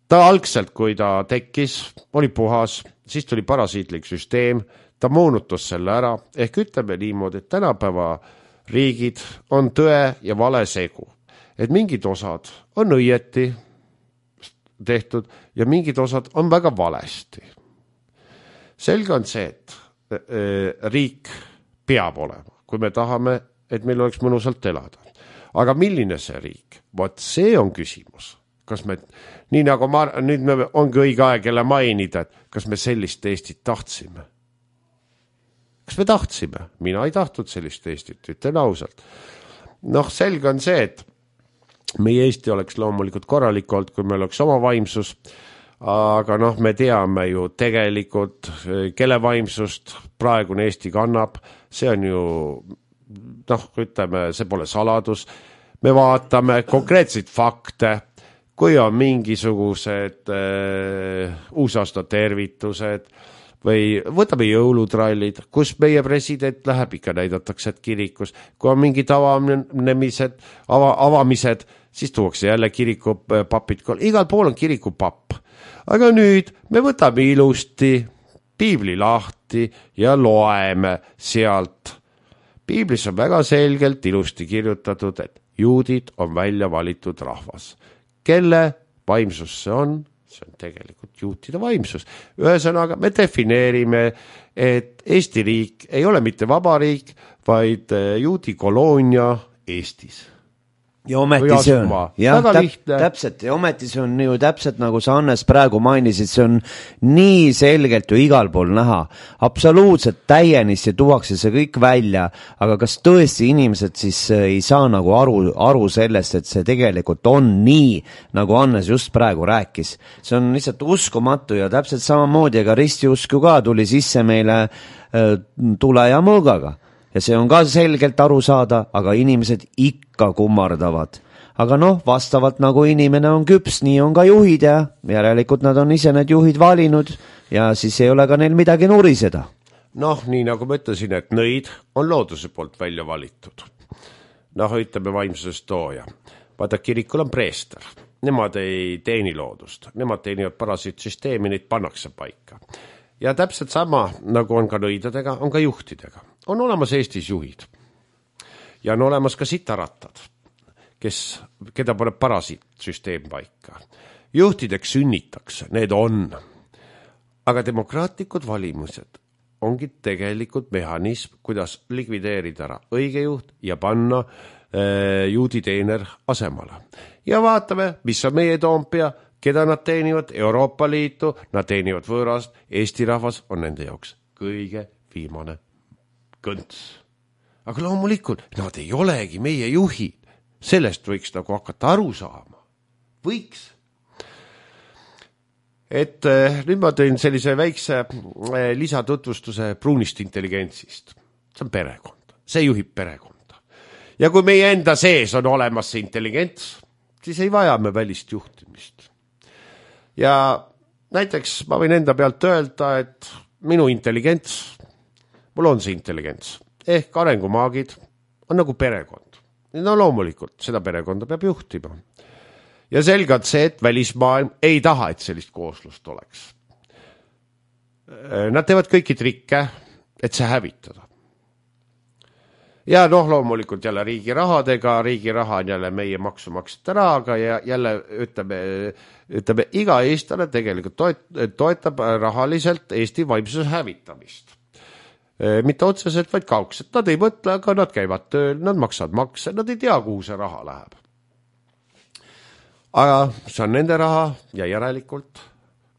ta algselt, kui ta tekkis, oli puhas, siis tuli parasiitlik süsteem, ta moonutas selle ära, ehk ütleme niimoodi, et tänapäeva riigid on tõe ja vale segu. Et mingid osad on õieti tehtud ja mingid osad on väga valesti. Selge on see, et riik peab olema, kui me tahame, et meil oleks mõnusalt elada. Aga milline see riik? Vot see on küsimus. Kas me, nii nagu nüüd me ongi õige aeg jälle mainida, et kas me sellist Eestit tahtsime? Kas me tahtsime? Mina ei tahtnud sellist Eestit, ütlen ausalt. Selge on see, et meie Eesti oleks loomulikult korralik olnud, kui meil oleks oma vaimsus, aga me teame ju tegelikult, kelle vaimsust praegune Eesti kannab, see on ju, ütleme, see pole saladus, me vaatame konkreetseid fakte, kui on mingisugused uusaasta tervitused või võtame jõulutrallid, kus meie president läheb, ikka näidatakse, et kirikus, kui on mingid avamised, siis tuuakse jälle kirikupapid, igal pool on kirikupapp. Aga nüüd me võtame ilusti piibli lahti ja loeme sealt. Piiblis on väga selgelt ilusti kirjutatud, et juudid on välja valitud rahvas. Kelle vaimsus see on? See on tegelikult juutide vaimsus. Ühesõnaga, me defineerime, et Eesti riik ei ole mitte vabariik, vaid juudi koloonia Eestis. Ja ometi see on, täpselt, ja ometi see on ju täpselt nagu sa Hannes praegu mainisid, see on nii selgelt ju igal pool näha, absoluutselt täienisti tuuakse see kõik välja, aga kas tõesti inimesed siis ei saa nagu aru sellest, et see tegelikult on nii, nagu Hannes just praegu rääkis. See on lihtsalt uskumatu ja täpselt samamoodi, aga ristiusku ka tuli sisse meile tule ja mõõgaga. Ja see on ka selgelt aru saada, aga inimesed ikka kummardavad. Aga vastavalt nagu inimene on küps, nii on ka juhid ja järelikult nad on ise need juhid valinud ja siis ei ole ka neil midagi nuriseda. Nii nagu ma ütlesin, et nõid on looduse poolt välja valitud. Ütleme vaimsusest tooja. Vaata, kirikul on preester. Nemad ei teeni loodust. Nemad teenivad parasiitsüsteemi, neid pannakse paika. Ja täpselt sama, nagu on ka nõidadega, on ka juhtidega. On olemas Eestis juhid. Ja on olemas ka sitarattad, keda paneb parasiitsüsteem paika. Juhtideks sünnitakse, need on. Aga demokraatlikud valimused ongi tegelikult mehhanism, kuidas likvideerida ära õige juht ja panna juudi teener asemale. Ja vaatame, mis on meie Toompea, keda nad teenivad, Euroopa Liitu, nad teenivad võõrast, Eesti rahvas on nende jaoks kõige viimane kõnts. Aga loomulikult, nad ei olegi meie juhid. Sellest võiks nagu hakata aru saama. Võiks. Et nüüd ma tõin sellise väikse lisatutvustuse pruunist intelligentsist. See on perekond. See juhib perekonda. Ja kui meie enda sees on olemas see intelligents, siis ei vaja me välist juhtimist. Ja näiteks ma võin enda pealt öelda, et minu intelligents, mul on see intelligents, ehk arengumaagid on nagu perekond. Loomulikult, seda perekonda peab juhtima. Ja selgelt see, et välismaailm ei taha, et sellist kooslust oleks. Nad teevad kõiki trikke, et see hävitada. Ja loomulikult jälle riigi rahadega, riigi raha on jälle meie maksumaksjate rahaga ja jälle ütleme iga eestlane tegelikult toetab rahaliselt Eesti vaimsuse hävitamist. Mitte otseselt, vaid kaugselt. Nad ei mõtle, aga nad käivad tööl, nad maksavad makse, nad ei tea, kuhu see raha läheb. Aga see on nende raha ja järelikult,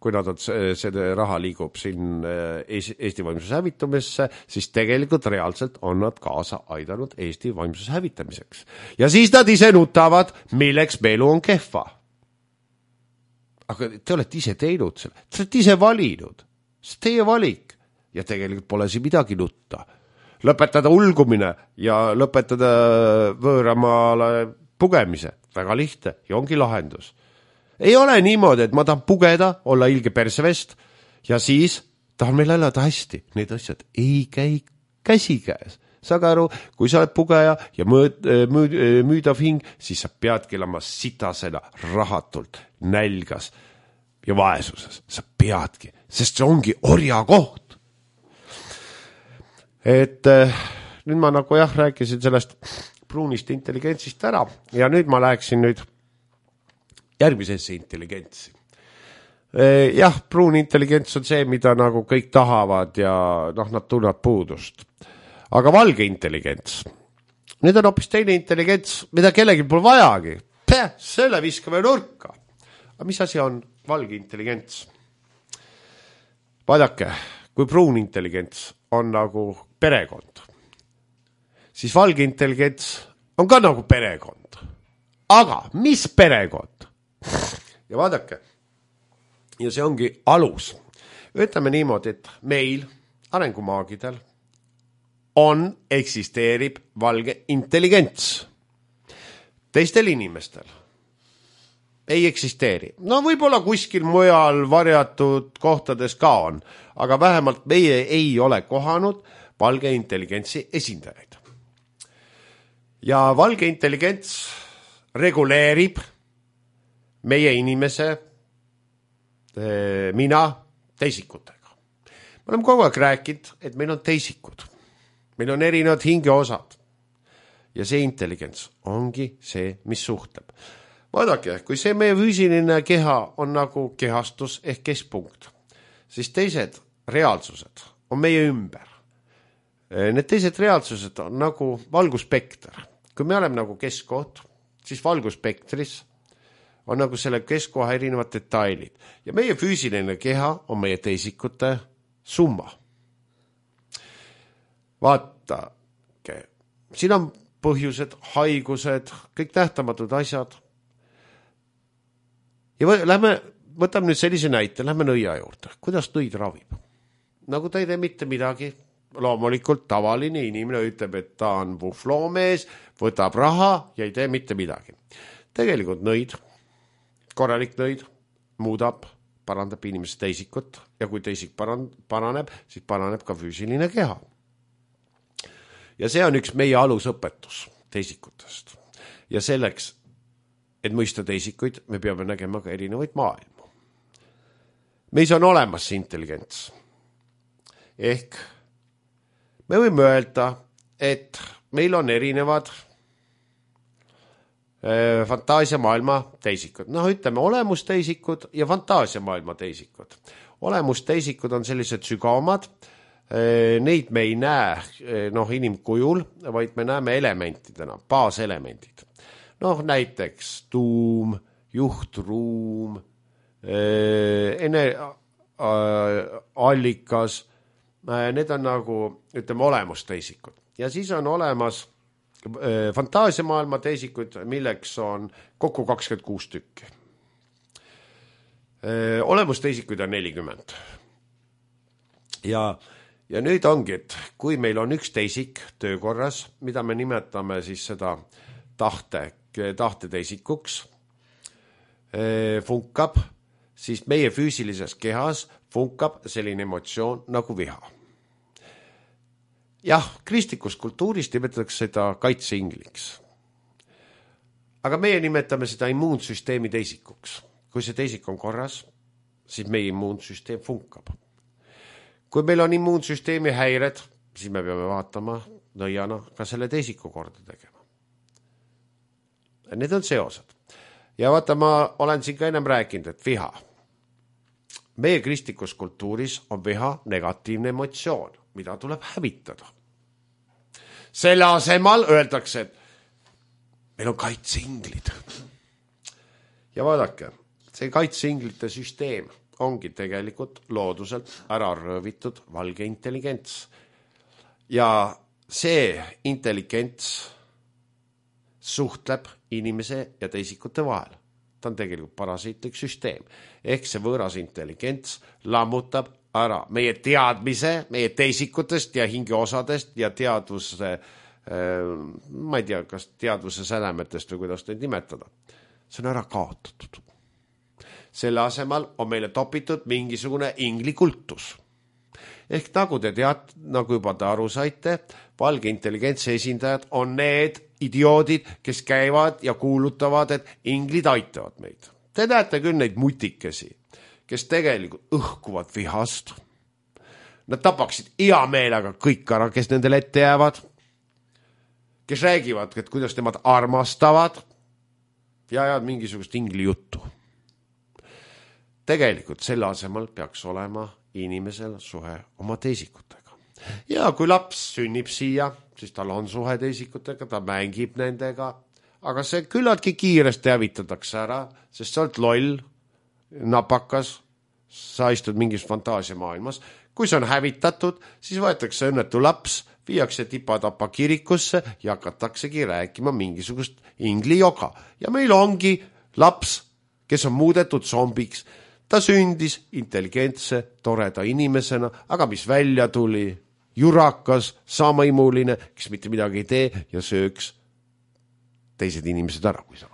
kui nad on, see raha liigub siin Eesti vaimsuse hävitumisse, siis tegelikult reaalselt on nad kaasa aidanud Eesti vaimsuse hävitamiseks. Ja siis nad ise nutavad, milleks meelu on kehva. Aga te olete ise teinud selle, te olete ise valinud, see teie valik ja tegelikult pole siin midagi nutta. Lõpetada ulgumine ja lõpetada võõramaale pugemise, väga lihtne ja ongi lahendus. Ei ole niimoodi, et ma tahan pugeda, olla ilge persevest ja siis tahan meil elada hästi. Need asjad ei käi käsikäes. Saage aru, kui sa oled pugeja ja müüdav hing, siis sa peadki elama sitasena, rahatult, nälgas ja vaesuses. Sa peadki, sest see ongi orja koht. et nüüd ma nagu rääkisin sellest pruunist intelligentsist ära ja nüüd ma läheksin nüüd järgmisesse intelligentsi. Jah, pruun intelligents on see, mida nagu kõik tahavad ja nad tunnevad puudust. Aga valge intelligents, nüüd on hoopis teine intelligents, mida kellegi pole vajagi. Selle viskame nurka. Aga mis asi on valge intelligents? Vaadake, kui pruun intelligents on nagu perekond, siis valge intelligents on ka nagu perekond. Aga mis perekond? Ja vaadake, ja see ongi alus. Ütleme niimoodi, et meil, arengumaagidel, eksisteerib valge intelligents. Teistel inimestel ei eksisteeri. No võib-olla kuskil mujal varjatud kohtades ka on, aga vähemalt meie ei ole kohanud valge intelligentsi esindajaid. Ja valge intelligents reguleerib meie inimese, mina, teisikutega. Me oleme kogu aeg rääkinud, et meil on teisikud. Meil on erinevad hingeosad. Ja see intelligents ongi see, mis suhtleb. Vaadake, kui see meie füüsiline keha on nagu kehastus ehk keskpunkt, siis teised reaalsused on meie ümber. Need teised reaalsused on nagu valguspekter. Kui me oleme nagu keskkoht, siis valguspektris on nagu selle keskkoha erinevad detailid. Ja meie füüsiline keha on meie teisikute summa. Vaatake, siin on põhjused, haigused, kõik nähtamatud asjad. Ja võtame nüüd sellise näite, lähme nõia juurde. Kuidas nõid ravib? Nagu ta ei tee mitte midagi. Loomulikult tavaline inimene ütleb, et ta on puhvloomees, võtab raha ja ei tee mitte midagi. Tegelikult nõid, korralik nõid, muudab, parandab inimese teisikut ja kui teisik paraneb, siis paraneb ka füüsiline keha. Ja see on üks meie alusõpetus teisikutest. Ja selleks, et mõista teisikuid, me peame nägema ka erinevaid maailmu. Meis on olemas see intelligents. Ehk me võime öelda, et meil on erinevad fantaasiamaailma teisikud. Ütleme olemusteisikud ja fantaasiamaailma teisikud. Olemusteisikud on sellised sügavamad. Neid me ei näe inimkujul, vaid me näeme elementidena, baaselemendid. Näiteks tuum, juhtruum, allikas, need on nagu, ütleme, olemusteisikud. Ja siis on olemas fantaasiamaailma teisikud, milleks on kokku 26 tükki. Olemusteisikuid on 40. Ja nüüd ongi, et kui meil on üks teisik töökorras, mida me nimetame siis seda tahteteisikuks, funkab, siis meie füüsilises kehas funkab selline emotsioon nagu viha. Jah, kristlikus kultuuris nimetatakse seda kaitseingliks. Aga meie nimetame seda immuunsüsteemi teisikuks. Kui see teisik on korras, siis meie immuunsüsteem funkab. Kui meil on immuunsüsteemi häired, siis me peame vaatama nõiana ka selle teisiku korda tegema. Need on seosed. Ja vaata, ma olen siin ka ennem rääkinud, et viha. Meie kristlikus kultuuris on viha negatiivne emotsioon, mida tuleb hävitada. Selle asemal öeldakse, et meil on kaitseinglid. Ja vaadake, see kaitseinglite süsteem ongi tegelikult looduselt ära röövitud valge intelligents. Ja see intelligents suhtleb inimese ja teisikute vahel. Ta on tegelikult parasiitlik süsteem. Ehk see võõras intelligents lammutab ära meie teadmise, meie teisikutest ja hingeosadest ja teadvuse, ma ei tea, kas teadvuse sädemetest või kuidas neid nimetada. See on ära kaotatud. Selle asemal on meile topitud mingisugune inglikultus. Ehk nagu te nagu juba te aru saite, valge intelligentsi esindajad on need idioodid, kes käivad ja kuulutavad, et inglid aitavad meid. Te näete küll neid mutikesi, kes tegelikult õhkuvad vihast. nad tapaksid hea meelega kõik ära, kes nendele ette jäävad, kes räägivad, et kuidas nemad armastavad ja ajavad mingisugust ingli juttu. Tegelikult selle asemel peaks olema inimesel suhe oma teisikutega. Ja kui laps sünnib siia, siis tal on suhe teisikutega, ta mängib nendega, aga see küllaltki kiiresti hävitatakse ära, sest sa oled loll, napakas, sa istud mingis fantaasiamaailmas. Kui see on hävitatud, siis võetakse õnnetu laps, viiakse tipatapa kirikusse ja hakataksegi rääkima mingisugust ingli joga. Ja meil ongi laps, kes on muudetud zombiks. Ta sündis intelligentse, toreda inimesena, aga mis välja tuli? Jurakas, samaimuline, kes mitte midagi ei tee ja sööks teised inimesed ära, kui saaks.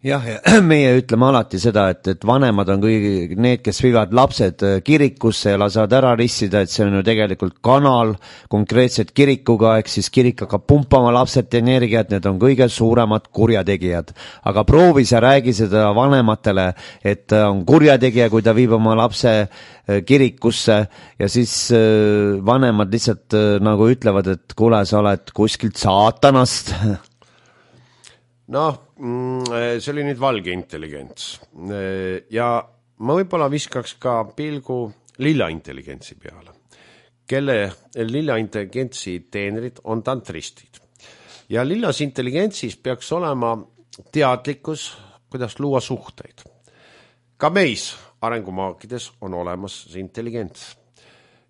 Jah, ja meie ütleme alati seda, et vanemad on kõigi need, kes viivad lapsed kirikusse ja lasevad ära rissida, et see on ju tegelikult kanal konkreetselt kirikuga, ehk siis kirik hakkab pumpama lapselt energiat, need on kõige suuremad kurjategijad. Aga proovi sa räägi seda vanematele, et on kurjategija, kui ta viib oma lapse kirikusse ja siis vanemad lihtsalt nagu ütlevad, et kuule, sa oled kuskilt saatanast. Noh, see oli nüüd valge intelligents ja ma võib-olla viskaks ka pilgu lilla intelligentsi peale, kelle lilla intelligentsi teenrid on tantristid. Ja lillas intelligentsis peaks olema teadlikkus, kuidas luua suhteid. Ka meis arengumaakides on olemas see intelligents.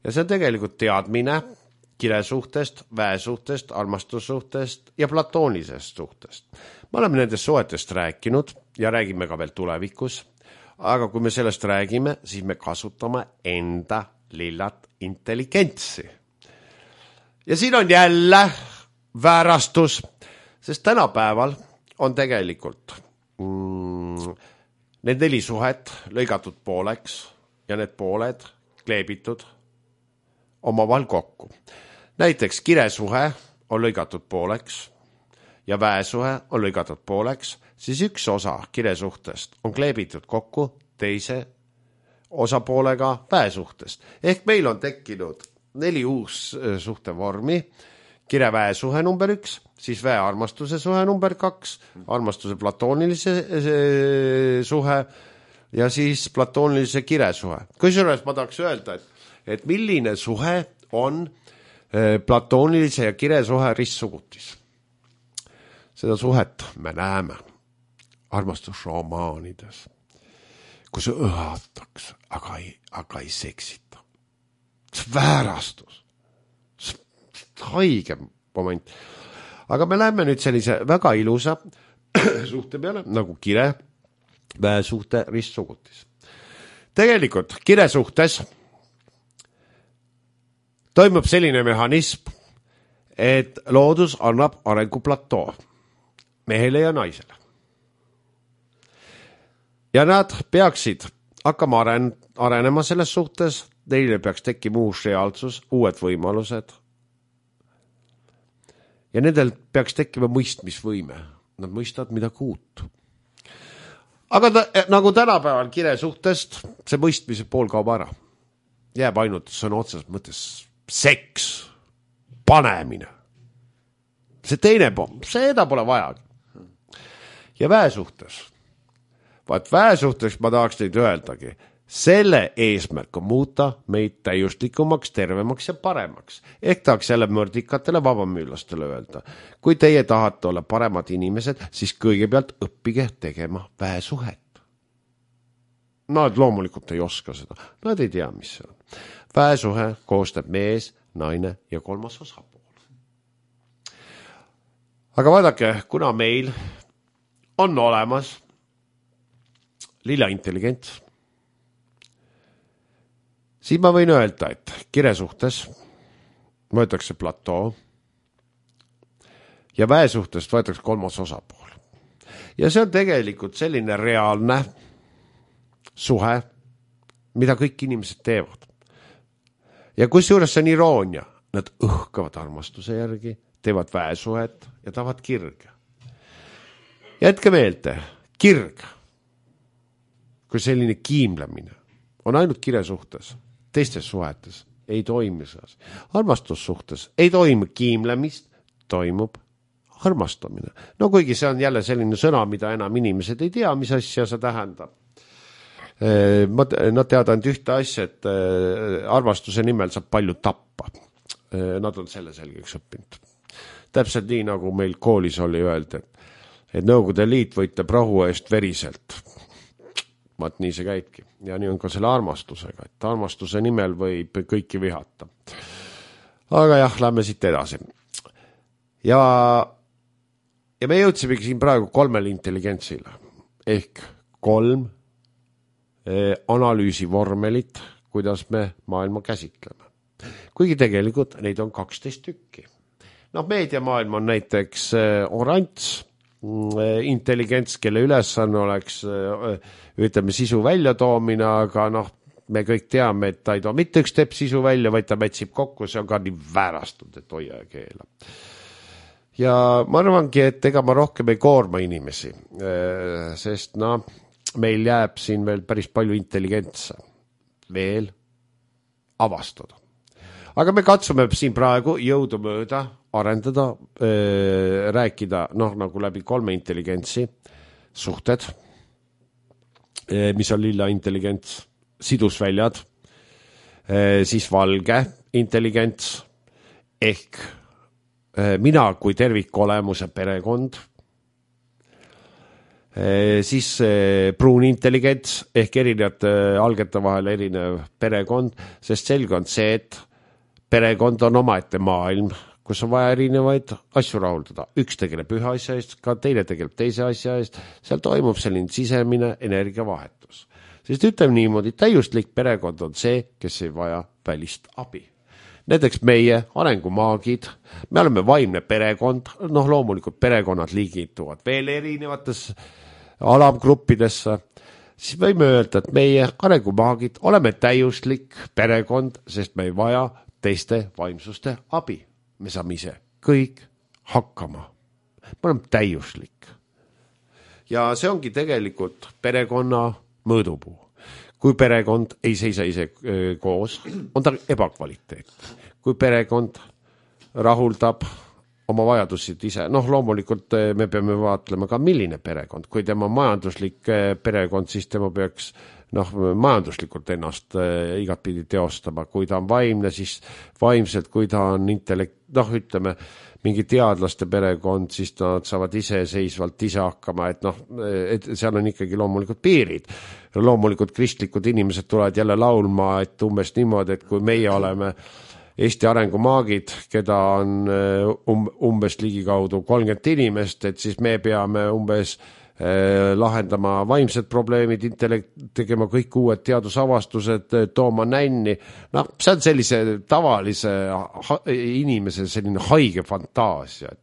Ja see on tegelikult teadmine kiresuhtest, väesuhtest, armastussuhtest ja platoonisest suhtest. Me oleme nendest suhetest rääkinud ja räägime ka veel tulevikus, aga kui me sellest räägime, siis me kasutame enda lillat intelligentsi. Ja siin on jälle väärastus, sest tänapäeval on tegelikult need 4 suhet lõigatud pooleks ja need pooled kleebitud omavahel kokku. Näiteks kiresuhe on lõigatud pooleks ja väesuhe on lõigatud pooleks, siis üks osa kiresuhtest on kleebitud kokku teise osapoolega väesuhtest. Ehk meil on tekkinud 4 uus suhtevormi, kire-väesuhe number 1, siis väe-armastuse suhe number 2, armastuse platoonilise suhe ja siis platoonilise kiresuhe. Kusjuures ma tahaks öelda, et milline suhe on platoonilise ja kiresuhe ristsugutis. Seda suhet me näeme armastusromaanides, kus õhatakse, aga ei seksita. See väärastus. See haige moment. Aga me läheme nüüd sellise väga ilusa suhte peale, nagu kire, väesuhte, ristsugutis. Tegelikult kiresuhtes toimub selline mehhanism, et loodus annab arenguplatoo mehele ja naisele. Ja nad peaksid hakkama arenema selles suhtes, neile peaks tekkima uus reaalsus, uued võimalused. Ja nendel peaks tekkima mõistmisvõime. Nad mõistavad midagi uut. Aga nagu tänapäeval kire suhtest, see mõistmise pool kaob ära. Jääb ainult sõna otseses mõttes seks, panemine. See teine pool, seda pole vajagi. Ja väesuhtes. Väesuhtes ma tahaks teid öeldagi, selle eesmärk on muuta meid täiuslikumaks, tervemaks ja paremaks. Ehk tahaks jälle mõrdikatele vabamüülastele öelda. Kui teie tahate olla paremad inimesed, siis kõigepealt õppige tegema väesuhet. Nad loomulikult ei oska seda. Nad ei tea, mis see on. Väesuhe koostab mees, naine ja 3. osapool. Aga vaadake, kuna meil on olemas lilla intelligents, siis ma võin öelda, et kire suhtes võetakse platoo ja väe suhtest võetakse 3. osapool. Ja see on tegelikult selline reaalne suhe, mida kõik inimesed teevad. Ja kusjuures see on iroonia, nad õhkavad armastuse järgi, teevad väesuhet ja tahavad kirge. Jätke meelde, kirg, kui selline kiimlemine on ainult kire suhtes, teistes suhetes ei toimi see. Armastussuhtes ei toimu kiimlemist, toimub armastamine. No kuigi see on jälle selline sõna, mida enam inimesed ei tea, mis asja see tähendab. Nad teavad ainult ühte asja, et armastuse nimel saab palju tappa. Nad on selle selgeks õppinud. Täpselt nii, nagu meil koolis oli öeldi, et Nõukogude Liit võitleb rahu eest veriselt. Vaat nii see käibki. Ja nii on ka selle armastusega, et armastuse nimel võib kõiki vihata. Aga jah, lähme siit edasi. Ja me jõudsimegi siin praegu 3 intelligentsile. Ehk 3 analüüsivormelit, kuidas me maailma käsitleme. Kuigi tegelikult neid on 12 tükki. Meediamaailm on näiteks oranž intelligents, kelle ülesanne oleks ütleme sisu väljatoomine, aga me kõik teame, et ta ei too mitte üks tepp sisu välja, vaid ta mätsib kokku, see on ka nii väärastunud, et hoia ja keela. Ja ma arvangi, et ega ma rohkem ei koorma inimesi, sest meil jääb siin veel päris palju intelligentse veel avastada. Aga me katsume siin praegu jõudumööda arendada, rääkida nagu läbi 3 intelligentsi suhted, mis on lilla intelligents, sidusväljad, siis valge intelligents ehk mina kui tervikolemuse perekond, siis pruun intelligents ehk erinevate algete vahel erinev perekond, sest selge on see, et perekond on omaette maailm, kus on vaja erinevaid asju rahuldada. Üks tegeleb ühe asja eest, ka teine tegeleb teise asja eest, seal toimub selline sisemine energiavahetus. Sest ütleme niimoodi, täiuslik perekond on see, kes ei vaja välist abi. Näiteks meie arengumaagid, me oleme vaimne perekond, loomulikult perekonnad liigituvad veel erinevates alamgruppidesse, siis võime öelda, et meie arengumaagid oleme täiuslik perekond, sest me ei vaja teiste vaimsuste abi. Me saame ise kõik hakkama. Me oleme täiuslik. Ja see ongi tegelikult perekonna mõõdupuu. Kui perekond ei seisa ise koos, on ta ebakvaliteet. Kui perekond rahuldab oma vajadusid ise, loomulikult me peame vaatlema ka milline perekond. Kui tema majanduslik perekond, siis tema peaks majanduslikult ennast igatpidi teostama. Kui ta on vaimne, siis vaimselt, kui ta on ütleme, mingi teadlaste perekond, siis nad saavad iseseisvalt ise hakkama, et seal on ikkagi loomulikult piirid. Loomulikult kristlikud inimesed tulevad jälle laulma, et umbes niimoodi, et kui meie oleme Eesti arengumaagid, keda on umbes ligikaudu 30 inimest, et siis me peame umbes lahendama vaimsed probleemid, tegema kõik uued teadusavastused, tooma nänni. See on sellise tavalise inimese selline haige fantaasia,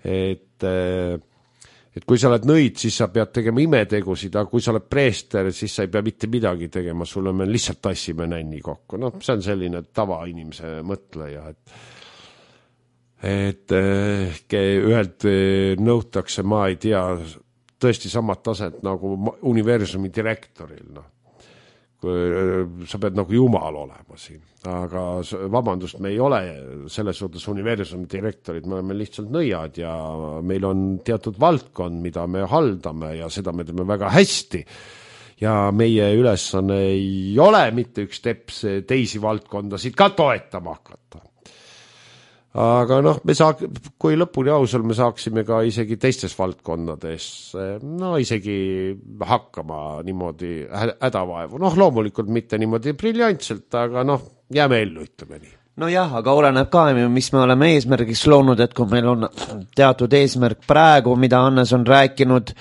et kui sa oled nõid, siis sa pead tegema imetegusid, aga kui sa oled preester, siis sa ei pea mitte midagi tegema, sulle me lihtsalt tassime nänni kokku. See on selline tavainimese mõtleja, et ühelt nõutakse, ma ei tea, tõesti samad taset nagu universumi direktoril. Sa pead nagu jumal olema siin. Aga vabandust, me ei ole selles suhtes universumi direktorid, me oleme lihtsalt nõiad ja meil on teatud valdkond, mida me haldame ja seda me teeme väga hästi. Ja meie ülesanne ei ole mitte üks teps teisi valdkondasid ka toetama hakata. Aga kui lõpuni ausal me saaksime ka isegi teistes valdkondades, isegi hakkama niimoodi hädavaevu. Loomulikult mitte niimoodi briljantselt, aga jääme ellu, ütleme nii. Jah, aga oleneb ka, mis me oleme eesmärgiks loonud, et kui meil on teatud eesmärk praegu, mida Hannes on rääkinud,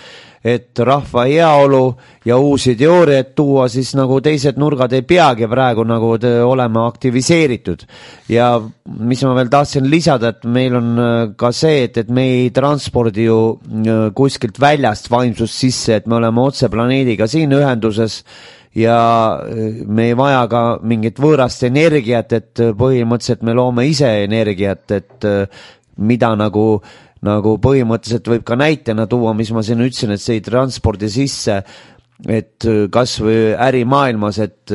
et rahva heaolu ja uusi teooriaid tuua, siis nagu teised nurgad ei peagi praegu nagu olema aktiviseeritud. Ja mis ma veel tahtsin lisada, et meil on ka see, et me ei transpordi ju kuskilt väljast vaimsust sisse, et me oleme otse planeediga siin ühenduses ja me ei vaja ka mingit võõrast energiat, et põhimõtteliselt me loome ise energiat, et mida nagu põhimõtteliselt võib ka näitena tuua, mis ma siin ütlesin, et see ei transpordi sisse et kas või ärimaailmas, et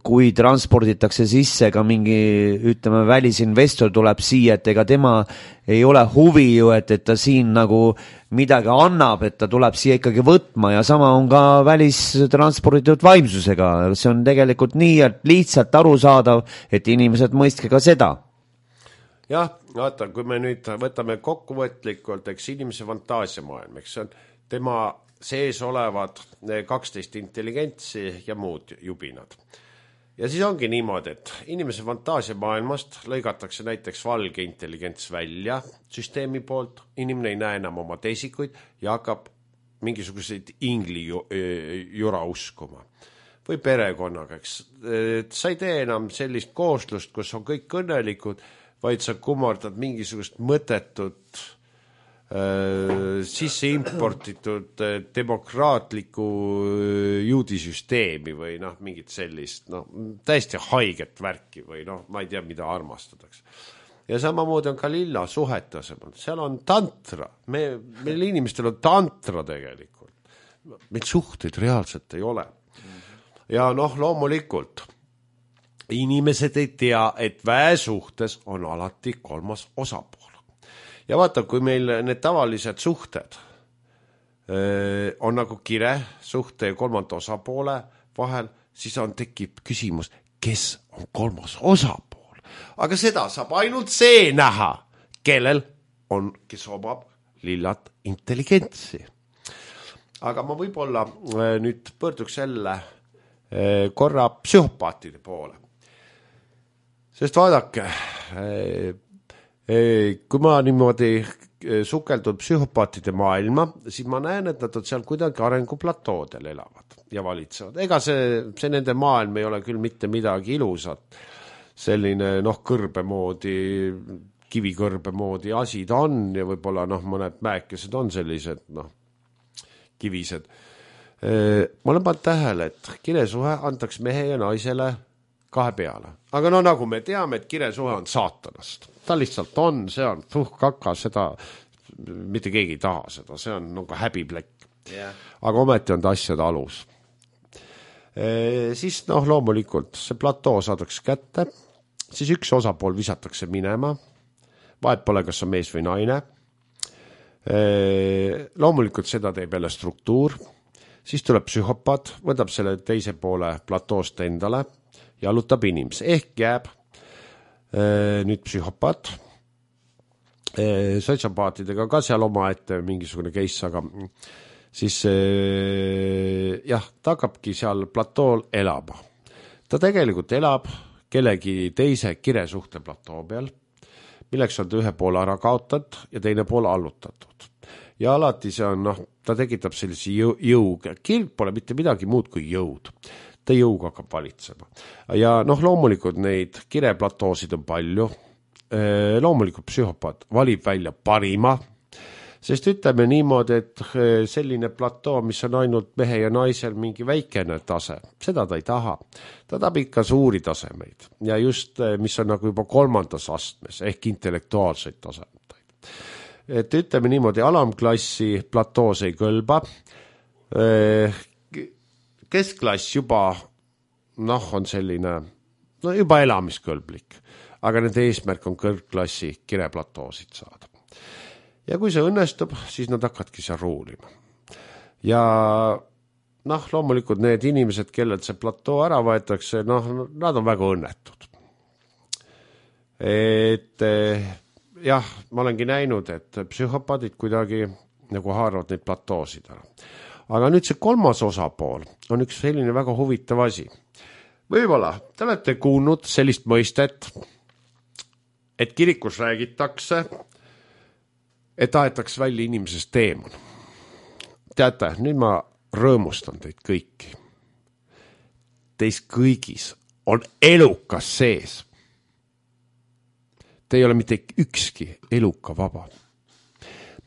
kui transporditakse sisse ka mingi, ütleme, välisinvestor tuleb siia, et ega tema ei ole huvi ju, et ta siin nagu midagi annab, et ta tuleb siia ikkagi võtma ja sama on ka välistransporditud vaimsusega. See on tegelikult nii lihtsalt arusaadav, et inimesed mõistke ka seda. Jah, vaata, kui me nüüd võtame kokkuvõtlikult, eks inimese fantaasiamaailm, eks see on tema sees olevad 12 intelligentsi ja muud jubinad. Ja siis ongi niimoodi, et inimese fantaasiamaailmast lõigatakse näiteks valge intelligents välja süsteemi poolt, inimene ei näe enam oma teisikuid ja hakkab mingisuguseid ingli jura uskuma. Või perekonnaga, eks. Sa ei tee enam sellist kooslust, kus on kõik õnnelikud, vaid sa kummardad mingisugust mõttetut sisse importitud demokraatliku juudisüsteemi või mingit sellist, täiesti haiget värki või ma ei tea, mida armastatakse. Ja samamoodi on ka lilla suhete asemel. Seal on tantra. Meil inimestel on tantra tegelikult. Meil suhteid reaalselt ei ole. Ja loomulikult inimesed ei tea, et väesuhtes on alati kolmas osapool. Ja vaata, kui meil need tavalised suhted on nagu kire suhte ja kolmanda osapoole vahel, siis tekib küsimus, kes on kolmas osapool. Aga seda saab ainult see näha, kes omab lillat intelligentsi. Aga ma võib-olla nüüd pöörduks jälle korra psühhopaatide poole. Sest vaadake, kui ma niimoodi sukeldun psühhopaatide maailma, siis ma näen, et nad on seal kuidagi arenguplatoodel elavad ja valitsevad. Ega see nende maailm ei ole küll mitte midagi ilusat. Selline kõrbe moodi, kivikõrbe moodi asi ta on ja võib-olla mõned mäekesed on sellised kivised. Ma olen pannud tähele, et kiresuhe antaks mehe ja naisele 2 peale. Aga nagu me teame, et kiresuhe on saatanast. Ta lihtsalt on, see on kaka, seda mitte keegi ei taha seda, see on nagu häbiplekk. Yeah. Aga ometi on ta asjade alus. Siis loomulikult see platoo saadakse kätte, siis üks osapool visatakse minema, vahet pole, kas on mees või naine. Loomulikult seda teeb jälle struktuur, siis tuleb psühhopaat, võtab selle teise poole platoost endale, jalutab inimese, ehk jääb nüüd psühhopaat, sotsiopaatidega ka seal oma ette mingisugune case, aga siis ta hakkabki seal platool elama. Ta tegelikult elab kellegi teise kiresuhte platoo peal, milleks on ta ühe poole ära kaotatud ja teine pool allutatud. Ja alati see on, ta tekitab sellise jõuga. Kirg pole mitte midagi muud kui jõud. Ta jõuga hakkab valitsema. Ja loomulikult neid kireplatoosid on palju. Loomulikult psühhopaat valib välja parima, sest ütleme niimoodi, et selline platoo, mis on ainult mehe ja naisel mingi väikene tase, seda ta ei taha. Ta tahab ikka suuri tasemeid ja just, mis on nagu juba 3. astmes ehk intellektuaalseid tasemeid. Et ütleme niimoodi, alamklassi platoos ei kõlba, keskklass juba on selline juba elamiskõlblik, aga nende eesmärk on kõrgklassi kireplatoosid saada. Ja kui see õnnestub, siis nad hakkadki seal ruulima. Ja loomulikult need inimesed, kellelt see platoo ära võetakse, nad on väga õnnetud. Et ma olengi näinud, et psühhopaadid kuidagi nagu haaravad neid platoosid ära. Aga nüüd see 3. osapool on üks selline väga huvitav asi. Võib-olla te olete kuulnud sellist mõistet, et kirikus räägitakse, et aetaks välja inimesest teemon. Teate, nüüd ma rõõmustan teid kõiki. Teis kõigis on elukas sees. Te ei ole mitte ükski eluka vaba.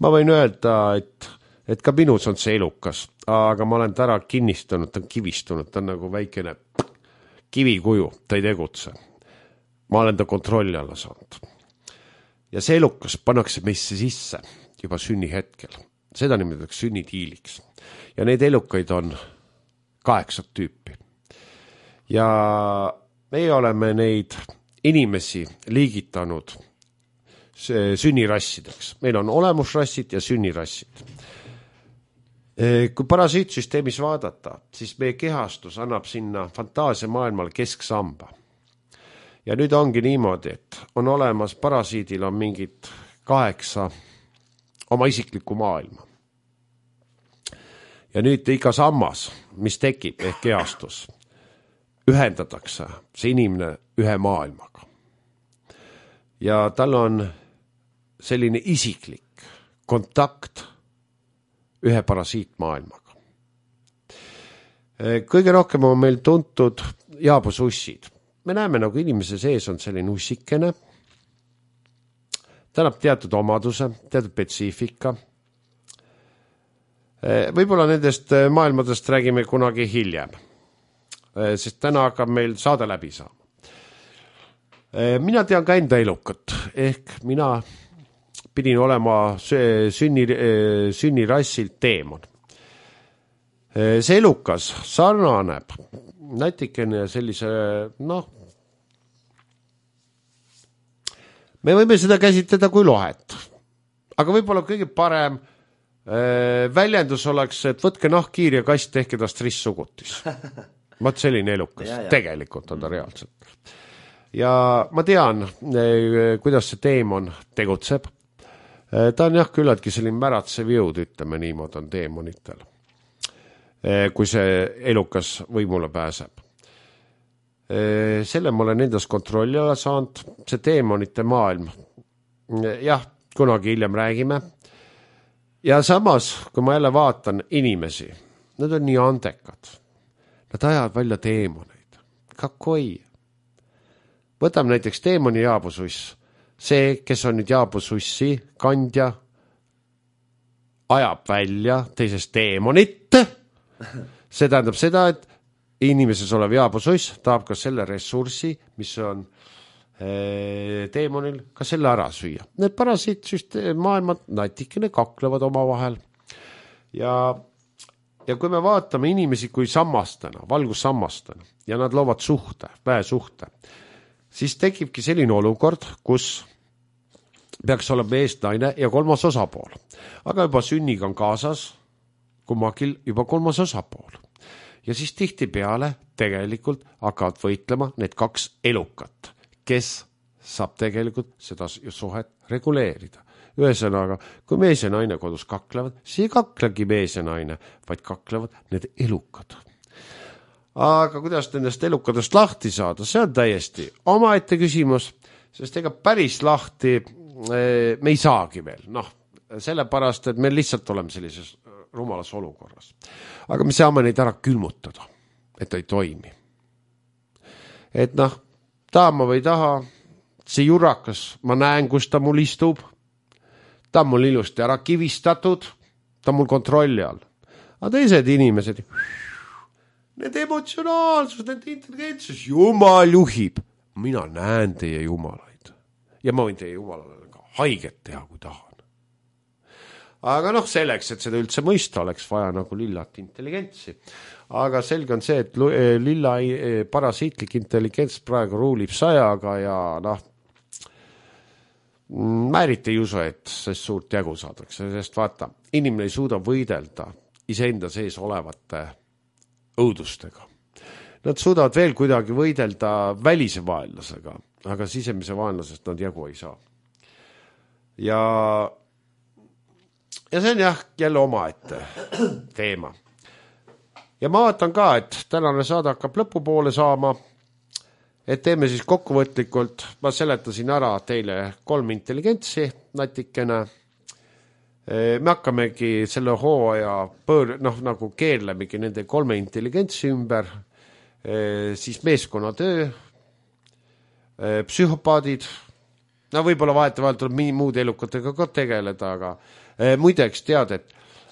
Ma võin öelda, et ka minus on see elukas, aga ma olen ta ära kinnistanud, ta on kivistunud, ta on nagu väikene kivikuju, ta ei tegutse. Ma olen ta kontrolli alla saanud. Ja see elukas pannakse meisse sisse juba sünnihetkel. Seda nimetatakse sünnitiiliks. Ja neid elukaid on 8 tüüpi. Ja meie oleme neid inimesi liigitanud sünnirassideks. Meil on olemusrassid ja sünnirassid. Kui parasiitsüsteemis vaadata, siis meie kehastus annab sinna fantaasia maailmal kesksamba. Ja nüüd ongi niimoodi, et on olemas, parasiidil on mingid 8 oma isiklikku maailma. Ja nüüd iga sammas, mis tekib ehk kehastus, ühendatakse see inimene ühe maailmaga. Ja tal on selline isiklik kontakt ühe parasiitmaailmaga. Kõige rohkem on meil tuntud jaabusussid. Me näeme, nagu inimese sees on selline ussikene. Ta annab teatud omaduse, teatud spetsiifika. Võib-olla nendest maailmadest räägime kunagi hiljem, sest täna hakkab meil saade läbi saama. Mina tean ka enda elukat, ehk mina pidin olema sünnirassilt teemon. See elukas sarnaneb natikene sellise, me võime seda käsitleda kui lohet. Aga võib-olla kõige parem väljendus oleks, et võtke nahkhiir ja kass, tehke tast ristsugutis. Vaat selline elukas, tegelikult on ta reaalselt. Ja ma tean, kuidas see teemon tegutseb. Ta on jah küllaltki selline märatsev jõud, ütleme niimoodi on teemonitel, kui see elukas võimule pääseb. Selle ma olen endas kontrolli alla saanud, see teemonite maailm. Jah, kunagi hiljem räägime. Ja samas, kui ma jälle vaatan inimesi, nad on nii andekad. Nad ajavad välja teemoneid. Kakoi. Võtame näiteks teemoni jaabususs. See, kes on nüüd jaabusussi kandja, ajab välja teisest teemonit. See tähendab seda, et inimeses olev jaabususs tahab ka selle ressurssi, mis on teemonil, ka selle ära süüa. Need parasiitsüsteem maailmad natikene kaklevad oma vahel. Ja kui me vaatame inimesi kui sammastena, valgussammastena, ja nad loovad suhte, väesuhte, siis tekibki selline olukord, kus peaks olema mees, naine ja 3. osapool. Aga juba sünniga on kaasas kummagil juba 3. osapool. Ja siis tihtipeale tegelikult hakkavad võitlema need 2 elukat, kes saab tegelikult seda suhet reguleerida. Ühesõnaga, kui mees ja naine kodus kaklevad, siis ei kaklegi mees ja naine, vaid kaklevad need elukad. Aga kuidas nendest elukadest lahti saada, see on täiesti omaette küsimus, sest ega päris lahti me ei saagi veel. Sellepärast, et me lihtsalt oleme sellises rumalas olukorras. Aga me saame neid ära külmutada, et ta ei toimi. Et tahama või taha, see jurakas, ma näen, kus ta mul istub, ta on mul ilusti ära kivistatud, ta on mul kontrolli all. Aga teised inimesed, need emotsionaalsus, need intelligentsus, jumal juhib. Mina näen teie jumalaid. Ja ma võin teie jumalale ka haiget teha, kui tahan. Aga selleks, et seda üldse mõista, oleks vaja nagu lillat intelligentsi. Aga selge on see, et lilla parasiitlik intelligents praegu ruulib 100-ga ja ma eriti ei usu, et sest suurt jagu saadakse. Sest vaata, inimene ei suuda võidelda iseenda sees olevate õudustega. Nad suudavad veel kuidagi võidelda välise vaenlasega, aga sisemise vaenlasest nad jagu ei saa. Ja see on jälle omaette teema. Ja ma vaatan ka, et tänane saade hakkab lõpupoole saama, et teeme siis kokkuvõtlikult, ma seletasin ära teile 3 intelligentsi natikene. Me hakkamegi selle hooaja nagu keerlemegi nende 3 intelligentsi ümber, siis meeskonnatöö, psühhopaadid, võib-olla vahetevahel tuleb muud elukatega ka tegeleda, aga muideks tead,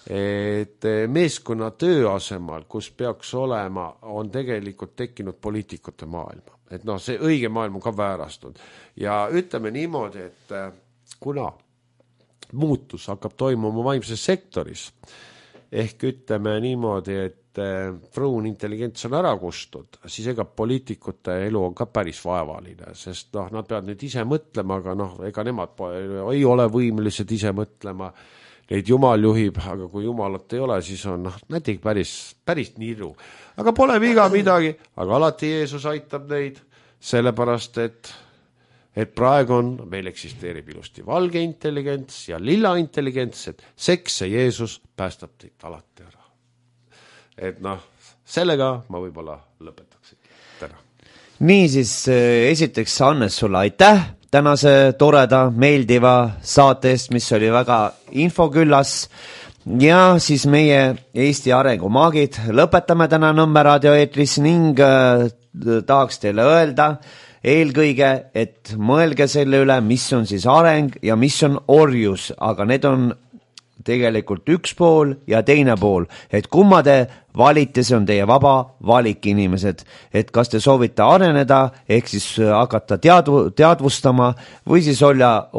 et meeskonnatöö asemal, kus peaks olema, on tegelikult tekkinud poliitikute maailma. Et see õige maailm on ka väärastunud. Ja ütleme niimoodi, et kuna muutus hakkab toimuma vaimses sektoris, ehk ütleme niimoodi, et pruun intelligents on ära kustud, siis ega poliitikute elu on ka päris vaevaline, sest nad peavad nüüd ise mõtlema, aga ega nemad ei ole võimelised ise mõtlema, neid Jumal juhib, aga kui Jumalat ei ole, siis on näiteks päris niru. Aga pole viga midagi, aga alati Jeesus aitab neid, sellepärast, et praegu meil eksisteerib ilusti valge intelligents ja lilla intelligents, et seks ja Jeesus päästab teid alati ära. Et sellega ma võib-olla lõpetaksin täna. Nii siis esiteks Hannes sulle aitäh tänase toreda, meeldiva saate eest, mis oli väga infoküllas ja siis meie Eesti arengumaagid lõpetame täna Nõmme raadio eetris ning tahaks teile öelda eelkõige, et mõelge selle üle, mis on siis areng ja mis on orjus, aga need on tegelikult üks pool ja teine pool, et kumma te valite, see on teie vaba valik inimesed, et kas te soovite areneda, ehk siis hakata teadvustama või siis olla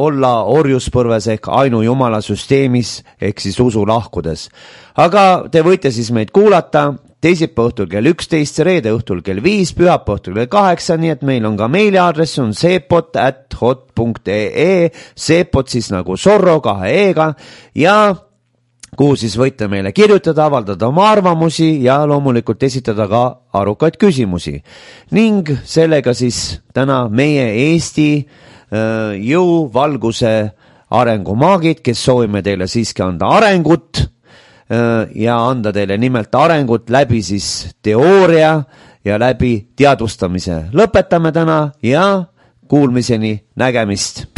orjuspõrves ehk ainu jumala süsteemis ehk siis usu lahkudes. Aga te võite siis meid kuulata teisipäeva õhtul kell 11, reede õhtul kell 5, pühapäeva õhtul kell 8, nii et meil on ka meiliaadress, on sepot@hot.ee, sepot siis nagu Zorro 2 e-ga ja kuhu siis võite meile kirjutada, avaldada oma arvamusi ja loomulikult esitada ka arukaid küsimusi. Ning sellega siis täna meie Eesti jõuvalguse arengumaagid, kes soovime teile siiski anda arengut ja anda teile nimelt arengut läbi siis teooria ja läbi teadvustamise. Lõpetame täna ja kuulmiseni, nägemist!